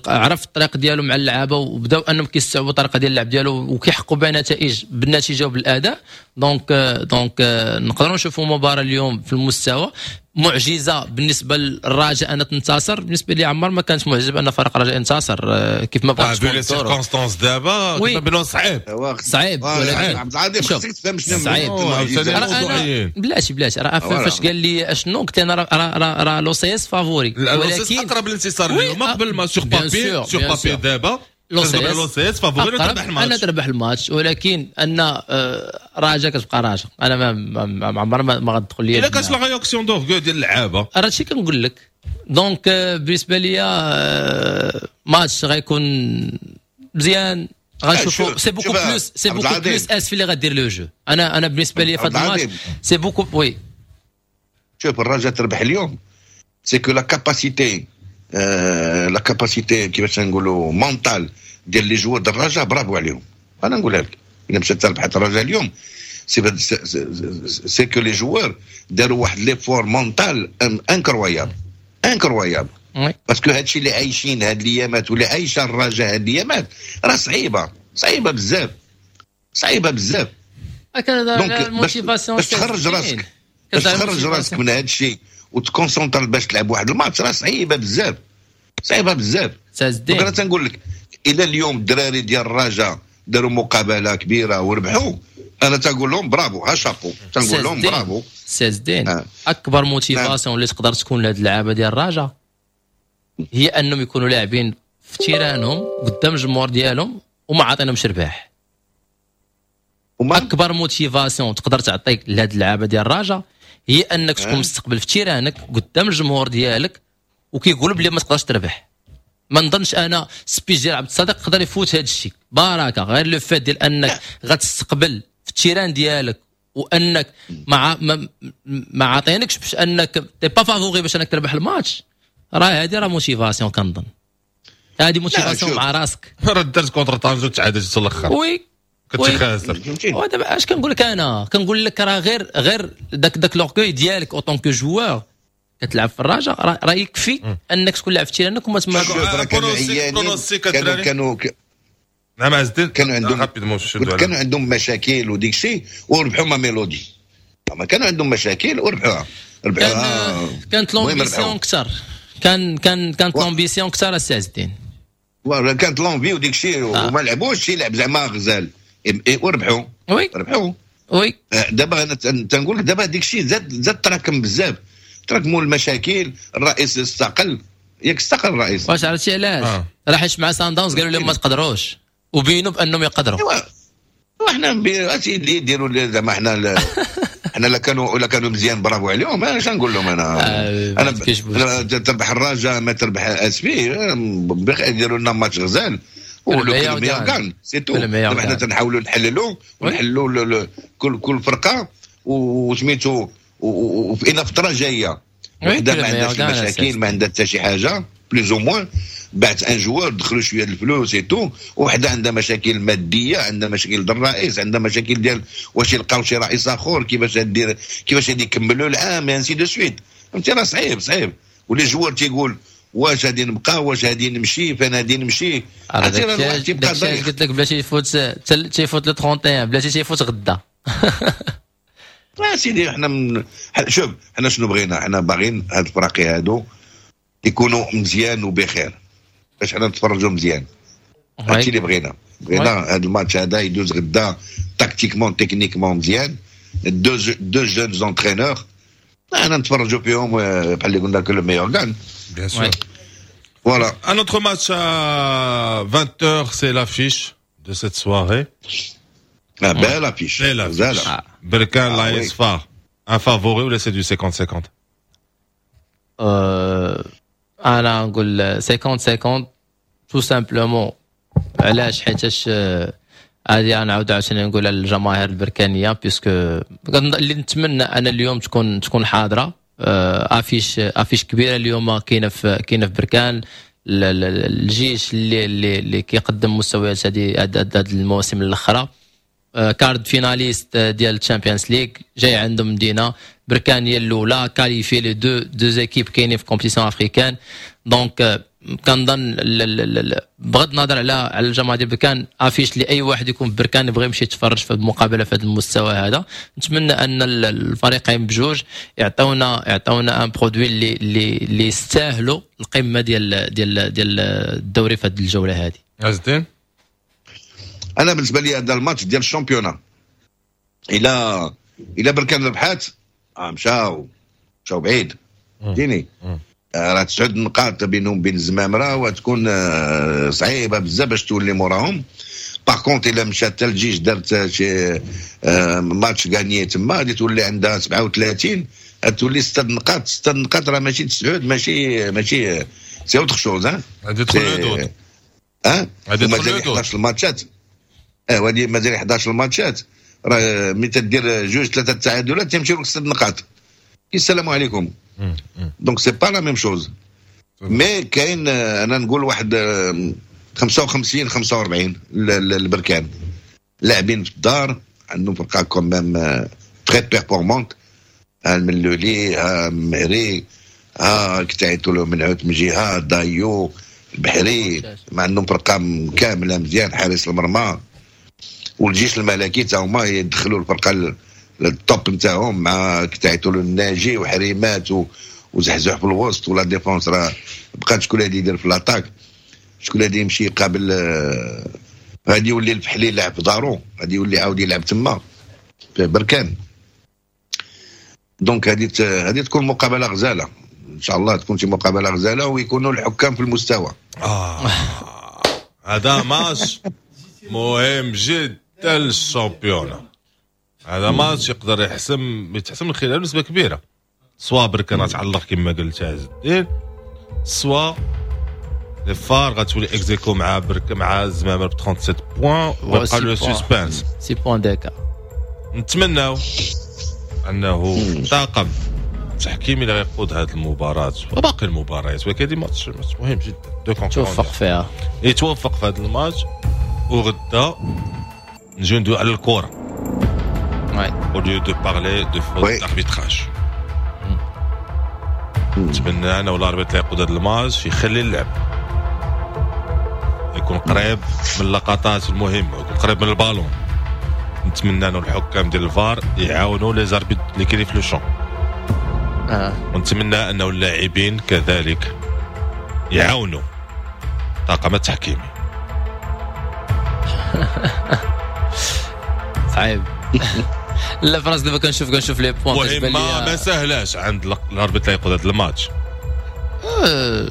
عرف الطريق ديالو مع اللعابه، وبداو انهم كيستوعبوا الطريقة ديال اللعب ديالو وكيحققوا بها نتائج بالنتيجة وبالاداء. donc donc نقدروا نشوفوا مباراة اليوم في المستوى. معجزه بالنسبة للرجاء ان تنتصر، بالنسبة لي عمر ما كانت معجزه بان فريق الرجاء ينتصر كيف ما بغات تكون les circonstances دابا كيبانوا صعيب. صعيب، ولكن عبد العظيم خصك تفهم شنو صعيب. بلاتي بلاتي، راه فاش قال لي اشنو قلت انا راه راه l'OCS favori. ولكن اقرب الانتصار اليوم قبل ما sur papier sur papier دابا. l'OCS favori تربح الماتش، انا تربح الماتش، ولكن ان آه، راجا كتبقى راجا. انا ما ما عمر ما, ما غتدخل لي الا كانت la réaction d'orgueil ديال اللعابه. راه هادشي كنقول لك. donc آه، بالنسبة لي آه، ماتش غيكون مزيان، غنشوفوا c'est beaucoup plus c'est beaucoup plus آسفي اللي غدير le jeu. انا انا بالنسبة لي في هذا الماتش c'est beaucoup، oui. شوف، الرجاء تربح اليوم، c'est que la capacité la capacité كيفاش نقولوا mentale ديال les joueurs ديال الرجاء، برافو عليهم. انا نقولها لك، الا مشات ربحت الرجاء اليوم، c'est c'est que les joueurs داروا واحد l'effort mental incroyable incroyable، parce que هادشي اللي عايشين هاد الايامات واللي عايشه الرجاء هاد الايامات راه صعيبه، صعيبة بزاف، صعيبة بزاف. donc باش تخرج راسك باش تخرج راسك من هاد الشيء وت concentrer باش تلعب واحد الماتش، راه صعيبة بزاف، صعيبة بزاف. donc انا تنقول لك، الى اليوم الدراري ديال الرجاء داروا مقابله كبيرة وربحوا، انا تنقول لهم برافو، ها شابو، تنقول لهم برافو. سي الدين آه. اكبر motivation اللي تقدر تكون لهاد اللعابه ديال الرجاء هي انهم يكونوا لاعبين في terrain هم قدام الجمهور ديالهم وما عاطينهمش رباح. اكبر motivation تقدر تعطيك لهاد اللعابه ديال الرجاء هي انك تكون مستقبل في terrain ك قدام الجمهور ديالك وكيقولوا بلي ما تقدرش تربح. ما نظنش انا speech ديال عبد الصادق يقدر يفوت هذا الشيء. بركة غير le fait ديال انك غتستقبل في ال terrain ديالك وانك مع ما, ما عاطينكش باش انك t'es pas favori باش انك تربح الماتش، راه هذه راه motivation. كنظن هذه motivation مع راسك. راه درت contre طنجة وتعادلت في الاخر. oui. كنت خاسر. ودابا اش كنقول لك؟ انا كنقول لك راه غير غير داك داك l'orgueil ديالك en tant que joueur كتلعب في الرجاء، راه يكفي انك تكون لاعب في terrain ك وما تما. كانوا عيانين، كانوا كانوا نعم عز الدين. كانوا عندهم كانوا عندهم مشاكل وديك الشيء وربحوا ما ميلودي. ما كانوا عندهم مشاكل وربحوها، ربحوها. كانت l'ambition اكثر، كان كان كانت l'ambition اكثر السي عز الدين. كانت l'envie وديك الشيء آه. وما لعبوش شي لعب زعما غزال وربحوا. oui ربحوا. oui. آه، دابا انا تنقول لك، دابا ديك الشيء زاد زاد تراكم بزاف، تراكموا المشاكل. الرئيس استقل، ياك استقل الرئيس؟ واش عرفتي علاش؟ آه. راه حيت مع سان داونز قالوا لهم ما تقدروش وبينوا بانهم يقدروا. ايوا وحنا اللي يديروا زعما حنا حنا لا كانوا ولا كانوا مزيان، برافو عليهم. انا اش نقول لهم؟ انا آه انا, أنا تربح الرجاء ما تربح اسفي، يديروا لنا ماتش غزال و le meilleur gagne، c'est tout. دابا حنا تنحاولوا نحللوا ونحلوا كل كل فرقه وسميتو وفي فترة جاية وحده ما عندهاش المشاكل، ما عندها حتى شي حاجة plus ou moins، بعت un joueur، دخلوا شوية الفلوس et tout. وحده عندها مشاكل ماديه، عندها مشاكل ديال الرئيس، عندها مشاكل ديال واش يلقاو شي رئيس اخر، كيفاش دير، كيفاش غادي يكملوا العام، ainsi de suite. فهمتي؟ راه صعيب صعيب. و les joueurs تيقول واش غادي نبقى، واش غادي نمشي، فين غادي نمشي. عرفتي راه تيبقى قلت لك بلاتي يفوت، تيفوت le trente et un، بلاتي تيفوت غدا. لا سيدي، حنا من... شوف، حنا شنو بغينا؟ حنا باغيين هاد الفراقي هادو يكونوا مزيان وبخير باش حنا نتفرجوا مزيان. هادشي اللي بغينا. بغينا هذا الماتش هذا يدوز غدا tactiquement، techniquement مزيان. deux deux jeunes entraîneurs انا نتفرجوا فيهم، بحال اللي قلنا que le meilleur gagne. Bien sûr. Voilà. Un autre match à vingt heures, c'est l'affiche de cette soirée. Ah, belle affiche. Belle affiche. Ah. Berkane, ah, l'A S FAR. Un favori ولا c'est du cinquante cinquante؟ euh, انا نقول cinquante cinquante tout simplement. علاش؟ حيتاش هذه نعاود عاوتاني نقول للجماهير البركانيه، puisque اللي نتمنى انا اليوم تكون تكون حاضره. affiche affiche كبيرة اليوم كاينه في كاينه في بركان. الجيش اللي اللي, اللي كيقدم مستويات هذه هذه المواسم الاخرى، quart de finaliste ديال ال Champions League، جاي عندهم مدينة بركان هي الاولى qualifiées، les deux deux équipes كاينين في compétition africaine. donc كنظن بغض النظر على على الجماعة ديال بركان، affiche لاي واحد يكون في بركان يبغي يمشي يتفرج في المقابلة في هذا المستوى هذا. نتمنى ان الفريقين بجوج يعطونا يعطونا un produit اللي اللي اللي يستاهلوا القمه ديال ديال ديال الدوري في هذه الجولة هذه. عز الدين. انا بالنسبة لي هذا الماتش ديال ال championnat. الى الى بركان ربحات، آه مشاو مشاو بعيد، فهمتيني؟ راه تسعود نقاط بينهم بين الزمامره، وتكون صعيبة بزاف باش تولي موراهم. par contre الا مشات حتى الجيش دارت شي match gagné تما، غادي تولي عندها سبعة وثلاثين، تولي ستة نقاط. ستة نقاط راه ماشي تسعود، ماشي ماشي c'est autre chose. غادي تدخل le doute. اه غادي تدخل le doute. حداش الماتشات، اه وهادي مازال حداش الماتشات، راه ملي تدير جوج ثلاثة تعادلات تمشيو لك ست نقاط، السلام عليكم. donc c'est pas la même chose. mais كاين انا نقول واحد خمسة وخمسين خمسة وأربعين البركان، لاعبين في الدار، عندهم فرقه quand même très performante، الملولي، ها مهري، ها كتعيطوا له منعوت من جهة دايو البحري، ما عندهم فرقه كاملة مزيان، حارس المرمى. والجيش الملكي تا هما يدخلوا الفرقة ال top نتاعهم مع كتعيطوا له الناجي وحريمات وزحزح في الوسط و la défense راه بقات شكون اللي يدير في l'attaque، شكون اللي يمشي يقابل. غادي يولي الفحلي يلعب في دارو، غادي يولي عاود يلعب تما في بركان. donc هذه هذه تكون مقابله غزاله ان شاء الله، تكون شي مقابله غزاله ويكونوا الحكام في المستوى. آه. هذا ماتش مهم جدا لل championnat، هذا ماتش يقدر يحسم يتحسم من خلال نسبه كبيرة، soit بركان تعلق كما قلت عز الدين، soit les FAR غتولي ex aequo مع برك مع الزمامر ب سبعة وثلاثين points ويبقى le suspense. six points d'écart. نتمناو انه طاقم التحكيمي اللي غيقود هذه المباراة وباقي المباريات، ولكن هذه ماتش مهم جدا، deux توفق فيها. يتوفق في هذا الماتش، وغدا نجيو ندوي على الكره au lieu de parler de faute d'arbitrage. نتمنى انا ولا l'arbitre اللي يقود هذا الماتش يخلي اللعب يكون قريب من اللقطات المهمة، يكون قريب من البالون. نتمنى انه الحكام ديال الفار يعاونوا les arbitres اللي كاينين في le champ. آه. ونتمنى انه اللاعبين كذلك يعاونوا الطاقم التحكيمي. صعيب. لا فراس دابا كنشوف كنشوف les points. مهمة ما سهلاش عند l'arbitre اللي يقود هذا الماتش. أه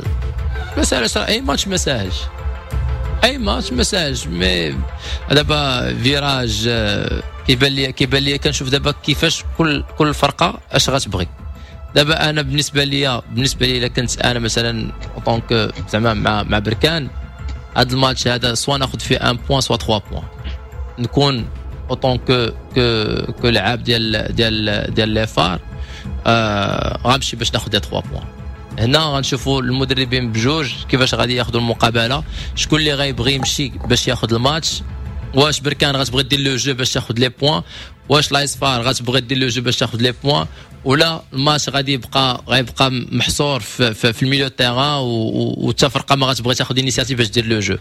ما ساهلاش، اي ماتش ما ساهلش، اي ماتش ما ساهلش. mais دابا virage كيبان لي كيبان لي كنشوف دابا كيفاش كل كل فرقه اش غتبغي. دابا انا بالنسبة لي بالنسبة لي الا كنت انا مثلا en tant que زعما مع مع بركان، هذا الماتش هذا soit ناخذ فيه واحد point soit ثلاثة points، نكون en tant que que que لعاب ديال ديال ديال les FAR آه غنمشي باش ناخذ ثلاثة points. هنا غنشوفوا المدربين بجوج كيفاش غادي ياخذوا المقابلة، شكون اللي غيبغي يمشي باش ياخذ الماتش. واش بركان غتبغي دير le jeu باش تاخذ les points، واش l'AS FAR غتبغي دير le jeu باش تاخذ les points، ولا الماتش غادي يبقى غيبقى محصور في, في, في ال milieu terrain وحتى فرقه ما غتبغي تاخذ initiative باش دير le jeu.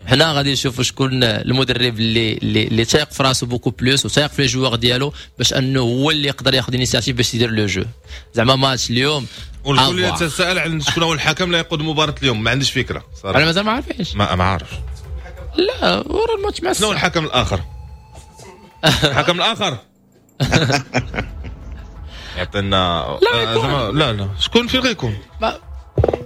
حنا غادي نشوفوا شكون المدرب اللي اللي, اللي تايق في راسو beaucoup plus وتايق في les joueurs ديالو باش انه هو اللي يقدر ياخذ initiative باش يدير le jeu. زعما ماتش اليوم والكل يتساءل عن شكون هو الحكم اللي يقود مباراة اليوم، ما عنديش فكرة صراحة، انا مازال ما عارفينش. ما ما عارف. لا ورا الماتش مع شنو هو الحكم الاخر؟ الحكم الاخر يعطينا لا لا لا شكون فين غيكون؟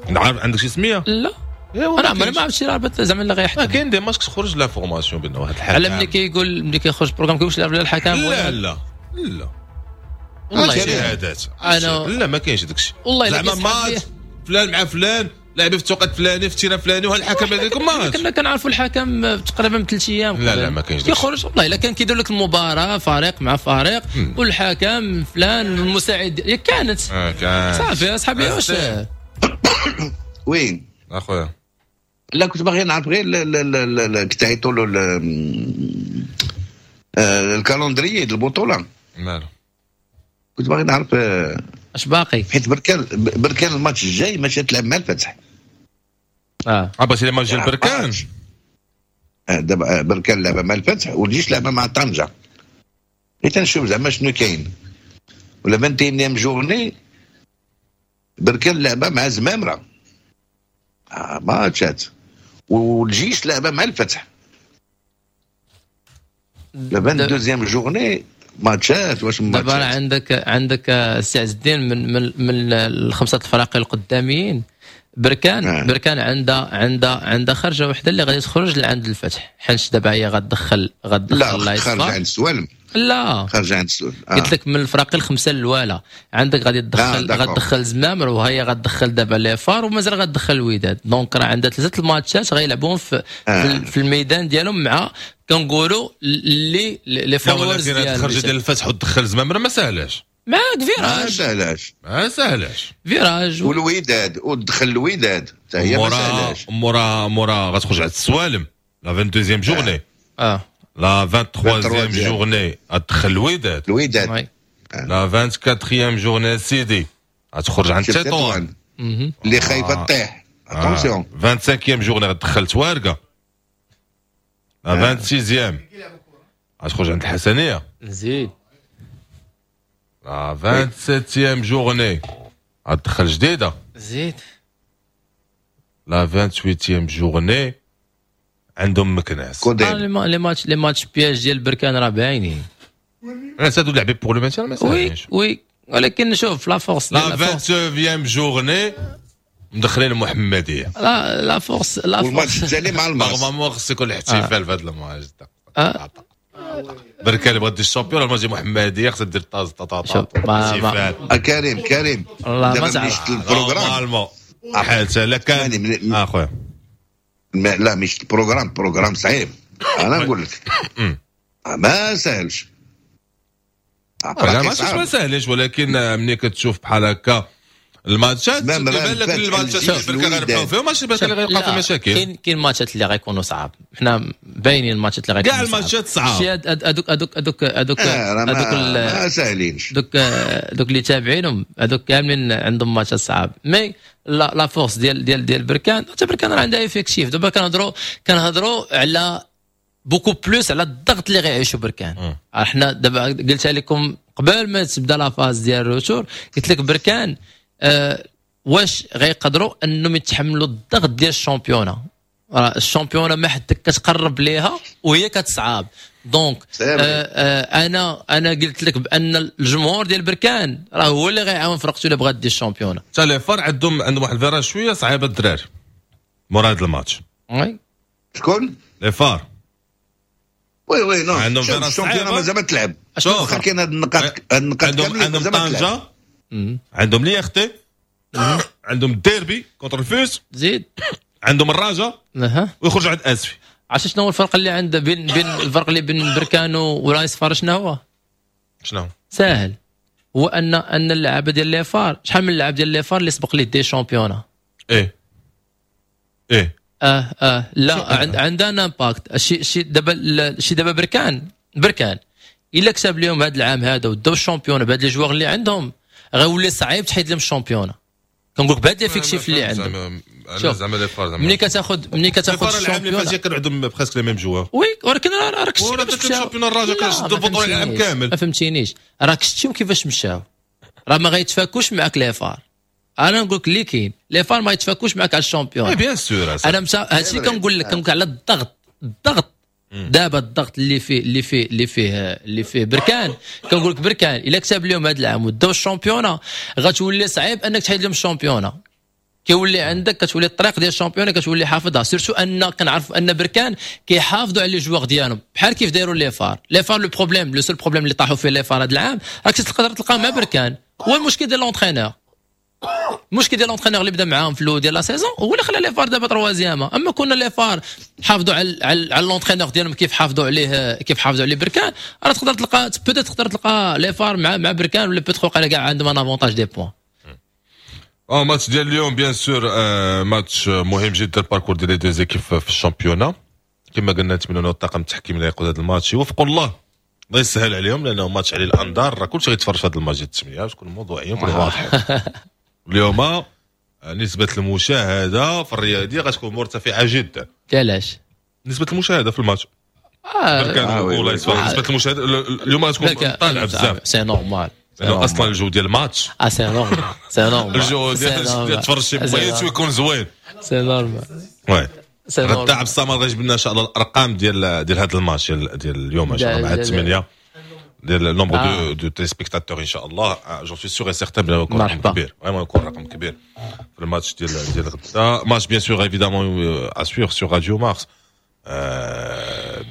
عارف عندك شي سميه؟ لا انا عمري ما عرفت شي l'arbitre زعما اللي غيحكم. كاين des matchs كتخرج l'information بان واحد الحكم، على ملي كيقول ملي كيخرج programme كيقولش لا الحكم لا لا لا والله شهادات انا لا ما كاينش داك الشيء. والله زعما ماتش فلان مع فلان لاعب في التوقيت الفلاني في ال terrain الفلاني وهالحكم هذاك ماتش كنا كنعرفوا الحكم تقريبا بثلاث ايام. لا لا ما كاينش كيخرج والله الا كان كيدير لك المباراة فريق مع فريق والحكم فلان المساعد كانت آه كان صافي اصحابي واش وين اخويا؟ لا كنت باغي نعرف غير كتعيطوا له ال calendrier ديال البطولة. مالو؟ كنت باغي نعرف اش باقي، حيت بركان بركان الماتش الجاي ماشي تلعب مع الفتح. اه اه باش الماتش ديال بركان دابا بركان لعب مع الفتح والجيش لعب مع طنجه. حيت نشوف زعما شنو كاين. ولا واحد وعشرين journée بركان لعبه مع زمامرة آه ماتشات، والجيش لعبه مع الفتح. la vingt-deuxième journée ماتشات واش دابا راه ماتشات عندك عندك السي عز الدين من من من الخمسة الفرق القداميين بركان آه. بركان عندها عندها عندها خرجه وحده اللي غادي تخرج لعند الفتح، حيت دابا هي غتدخل غتدخل لا خارجه لايصفار عند السوالم، لا خارجه عند السوالم. آه. قلت لك من الفرق الخمسة الاولى عندك غادي تدخل آه، غتدخل زمامر، وهي غتدخل دابا les FAR، ومازال غتدخل الوداد. donc راه عندها ثلاثة الماتشات غيلعبوهم في, آه. في الميدان ديالهم مع كنقولوا les les followers ديالهم. خرجه ديال الفتح وتدخل زمامر ما سهلاش. معاك virage، ما سهلاش، ما سهلاش virage والوداد، وتدخل الوداد حتى هي ما سهلاش. مورا مورا غتخرج على السوالم la vingt-deuxième journée. اه la vingt-troisième journée غتدخل الوداد. الوداد la vingt-quatrième journée سيدي غتخرج عند تطوان اللي خايفة تطيح، attention. vingt-cinquième journée غتدخل توارقه. la vingt-sixième غتخرج عند الحسنيه. زيد la vingt-septième journée غتدخل جديدة. زيد la vingt-huitième journée عندهم مكناس. les matchs les matchs pièges ديال بركان راه باينين. هادو لاعبين pour le maintien ما oui oui، ولكن شوف la force la vingt-neuvième journée مدخلين المحمدية. la la force la force والماتش الثاني مع الماس. normalement خص يكون الاحتفال في هذا الماتش. بركان اللي بغات دير ال champion، الماتش المحمدية خصها دير طاز طاطا طاط. كريم كريم دابا ملي شفت ال programme حيت لا كان اخويا لا مش ال programme، programme صعيب انا نقول لك ما ساهلش. لا ما ساهلش، ولكن ملي كتشوف بحال هكا الماتشات كيبان لك الماتشات اللي بركان غيربحوا فيهم، ماشي بركان اللي غيوقع في مشاكل. كاين كاين ماتشات اللي غيكونوا صعاب، حنا باينين الماتشات اللي غيكونوا كاع الماتشات صعاب. شي هذوك هذوك هذوك هذوك هذوك ما ساهلينش، دوك دوك اللي تابعينهم هذوك كاملين عندهم ماتشات صعاب. mais la la force ديال ديال ديال بركان، حتى بركان راه عندها effectif. دابا كنهضروا كنهضروا على beaucoup plus على الضغط اللي غيعيشوا بركان. حنا دابا قلتها لكم قبل ما تبدا la phase ديال ال retour، قلت لك بركان أه واش غيقدروا انهم يتحملوا الضغط ديال ال championnat؟ راه ال championnat ما حدك كتقرب ليها وهي كتصعب. donc آه آه انا انا قلت لك بان الجمهور ديال بركان راه هو اللي غيعاون فرقته الا بغات دير ال championnat. حتى les FAR عندهم عندهم واحد ال virage شوية صعيبة الدراري مورا هذا الماتش. oui شكون؟ les FAR oui oui non عندهم ال championnat مازال ما تلعب. شوف كاين هاد النقاط هاد النقاط عندهم عندهم طنجه، عندهم l'I R T، عندهم derby contre الفوس، زيد عندهم الرجاء اها ويخرجوا عند اسفي. عرفتي شنو هو الفرق اللي عند بين بين الفرق اللي بين بركان ورايس فار؟ شنو هو؟ شنو؟ ساهل، هو ان ان اللعابه ديال les FAR، شحال من اللاعب ديال les FAR اللي سبق ليه des championnats؟ ايه ايه اه اه لا عند عندنا impact شي شي دابا شي دابا بركان بركان الا كسب اليوم هذا العام هذا وداو ال championnat بهاد les joueurs اللي عندهم، غيولي صعيب تحيد لهم ال championnat. كنقول لك بهاد l'effectif اللي عندهم. شوف زعما les FAR زعما ملي كتاخذ ملي كتاخذ ال championnat العام اللي فات كانوا عندهم presque les mêmes joueurs. oui ولكن راك شتي كيفاش مشاو ال championnat الرجاء كنشدوا البطولة العام كامل. ما فهمتينيش، راك شتيهم كيفاش مشاو، راه ما غيتفاكوش معاك les FAR. انا نقول لك اللي كاين les FAR ما يتفاكوش معاك على ال championnat. bien sûr انا مشا هادشي كنقول لك، كنقول على الضغط الضغط دابا الضغط اللي فيه اللي فيه اللي فيه اللي فيه بركان. كنقول لك بركان الا كسب اليوم هذا العام وداو ال championnat غتولي صعيب انك تحيد لهم ال championnat. كيولي عندك كتولي الطريق ديال ال championnat كتولي حافظها، surtout ان كنعرف ان بركان كيحافظوا على les joueurs ديالهم بحال كيف دايروا les FAR. les FAR le problème le seul problème اللي طاحوا فيه les FAR هذا العام راك تقدر تلقاه مع بركان، هو المشكل ديال l'entraîneur. المشكل ديال l'entraîneur اللي بدا معاهم في الاول ديال la saison هو اللي خلى les FAR دابا troisième. اما كنا les FAR حافظوا على على, على l'entraîneur ديالهم كيف حافظوا عليه كيف حافظوا عليه بركان، راه تقدر تلقى peut-être تقدر تلقى les FAR مع مع بركان ولا peut-être وقع كاع عندهم un avantage des points. اه ماتش ديال اليوم bien sûr ماتش مهم جدا، parcours ديال les deux équipes في ال championnat. كما قلنا نتمنوا الطاقم التحكيمي اللي يقود هذا الماتش يوفقوا الله، الله يسهل عليهم، لانه ماتش عليه الانظار، راه كلشي غيتفرج في هذا الماتش ديال الثمانية باش نكونوا موضوعيين ونكونوا واضحين. اليوم نسبة المشاهدة في الرياضية غتكون مرتفعة جدا. علاش؟ نسبة المشاهدة في الماتش. آه بركان آه والله نسبة المشاهدة اليوم غتكون طالعة بزاف. c'est normal. لأنه اصلا الجو ديال الماتش اه c'est normal c'est normal الجو ديال تفرج شي بغيت ويكون زوين. c'est normal. oui غدا عبد الصمد غيجيب لنا ان شاء الله الارقام ديال ديال هذا الماتش ديال, ديال اليوم ان شاء الله مع الثمانية. ديال nombre de de téléspectateurs ان شاء الله. j'en suis sûr et certain بلي يكون رقم كبير، vraiment يكون رقم كبير في الماتش ديال ديال غدا. match bien sûr évidemment à suivre sur Radio Mars،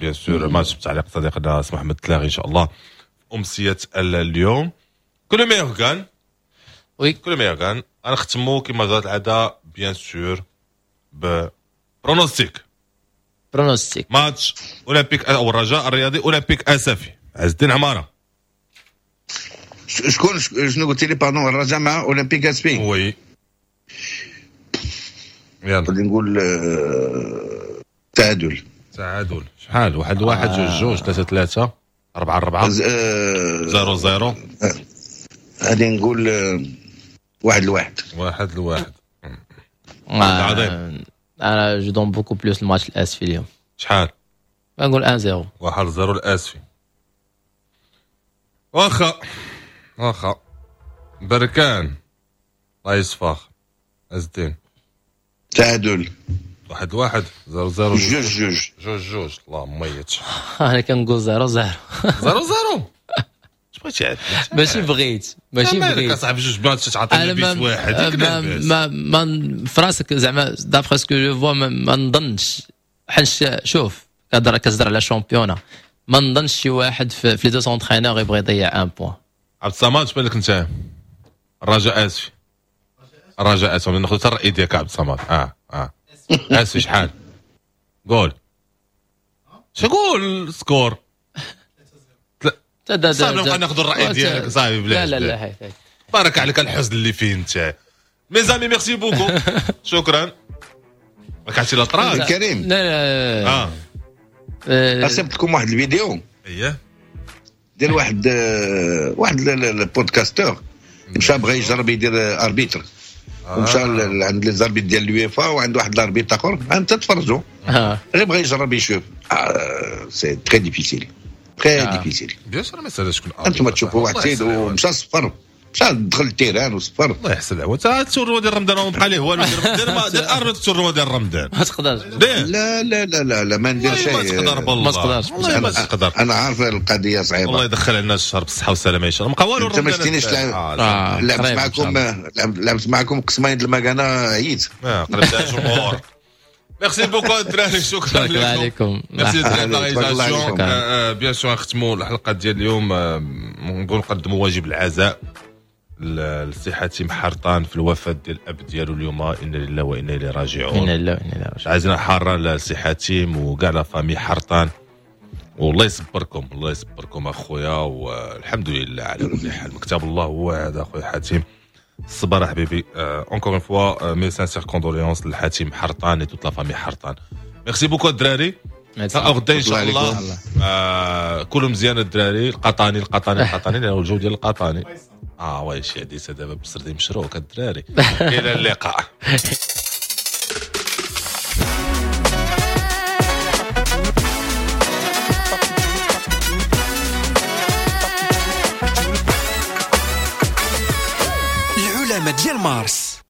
bien sûr match بتعليق صديقنا سي محمد تلاغي ان شاء الله. امسية اليوم que le meilleur gagne. oui que le meilleur gagne. غنختمو كما جرت العادة bien sûr ب pronostic. pronostic ماتش اولمبيك او الرجاء الرياضي اولمبيك اسفي. عز الدين عمارة، شكون شنو قلت لي؟ pardon، الرجاء مع اولمبيك اسفي. oui يلا غادي نقول تعادل. تعادل شحال؟ واحد واحد، جوج جوج، ثلاثة ثلاثة، أربعة أربعة، zéro zéro. غادي نقول واحد لواحد. واحد لواحد. عظيم. انا je donne beaucoup plus الماتش الاسفي اليوم. شحال؟ نقول واحد صفر. واحد صفر الاسفي. واخا واخا بركان الله يصفاخ. عز الدين تعادل واحد واحد، zéro zéro، جوج جوج، جوج جوج. الله ميت. انا كنقول zéro zéro. zéro zéro. اش بغيتي عاد؟ ماشي بغيت، ماشي بغيت صاحبي جوج ماتش تعطيني بيس واحد. ما ما ما في راسك زعما d'après ce que je vois ما نظنش، حيت شوف كتهضر كتهضر على championnat، ما نظنش شي واحد في les deux entraîneurs يبغي يضيع un point. عبد الصمد اش بالك انت؟ الرجاء اسفي. الرجاء اسفي ناخذ حتى الراي ديالك عبد الصمد. اه اه اسفي شحال؟ قول شقول score. صافي نبقى ناخذ الراي ديالك صافي بلاش. لا لا لا هاي بارك عليك الحزن اللي فيه انت. mes amis merci beaucoup. شكرا. ما كانش لا طراك كريم. لا لا اه رسمت لكم واحد الفيديو اييه ديال واحد واحد ال podcasteur مشى بغى يجرب يدير arbitre، ومشى عند les arbitres ديال اليوفا وعند واحد ال arbitre اخر. انت تفرجوا غير بغى يجرب يشوف. c'est très difficile، très difficile. bien sûr ما سالش شكون انتم تشوفوا واحد السيد ومشى صفر، مشى دخل ال terrain وصفر. الله يحسن العوض. تا ال tournoi ديال رمضان ما بقى ليه والو. دير دير arbitre ال tournoi ديال رمضان ما تقدرش. لا لا لا لا لا ما ندير شيء. ما تقدر بالله ما تقدرش. والله ما تقدر. انا عارف القضية صعيبة. الله يدخل علينا الشهر بالصحة والسلامة ان شاء الله. ما بقى والو. انت ما شتينيش لعبت معكم، لعبت معكم قسمين د المكانة عييت. اه قلبتها جمهور. merci beaucoup الدراري، شكرا لكم. ميرسي الدراري la réalisation. bien sûr نختموا الحلقة ديال اليوم، نقول نقدموا واجب العزاء للسي حاتم حرطان في الوفاة ديال الاب ديالو اليوم. انا لله وانا اليه راجعون. انا لله وانا اليه راجعون. عزينا حارة للسي حاتم وكاع la famille حرطان، والله يصبركم، الله يصبركم اخويا، والحمد لله على كل حال. مكتاب الله هو هذا اخويا حاتم. الصبر حبيبي. encore une fois mes sincères condoléances لحاتم حرطان et toute la famille حرطان. merci beaucoup الدراري. غدا ان شاء الله آه كلوا مزيان الدراري. القطاني القطاني القطاني لانه الجو ديال القطاني. اه oui شي حديثه دابا بالسردين مشروك الدراري. الى اللقاء. العلماء ديال مارس.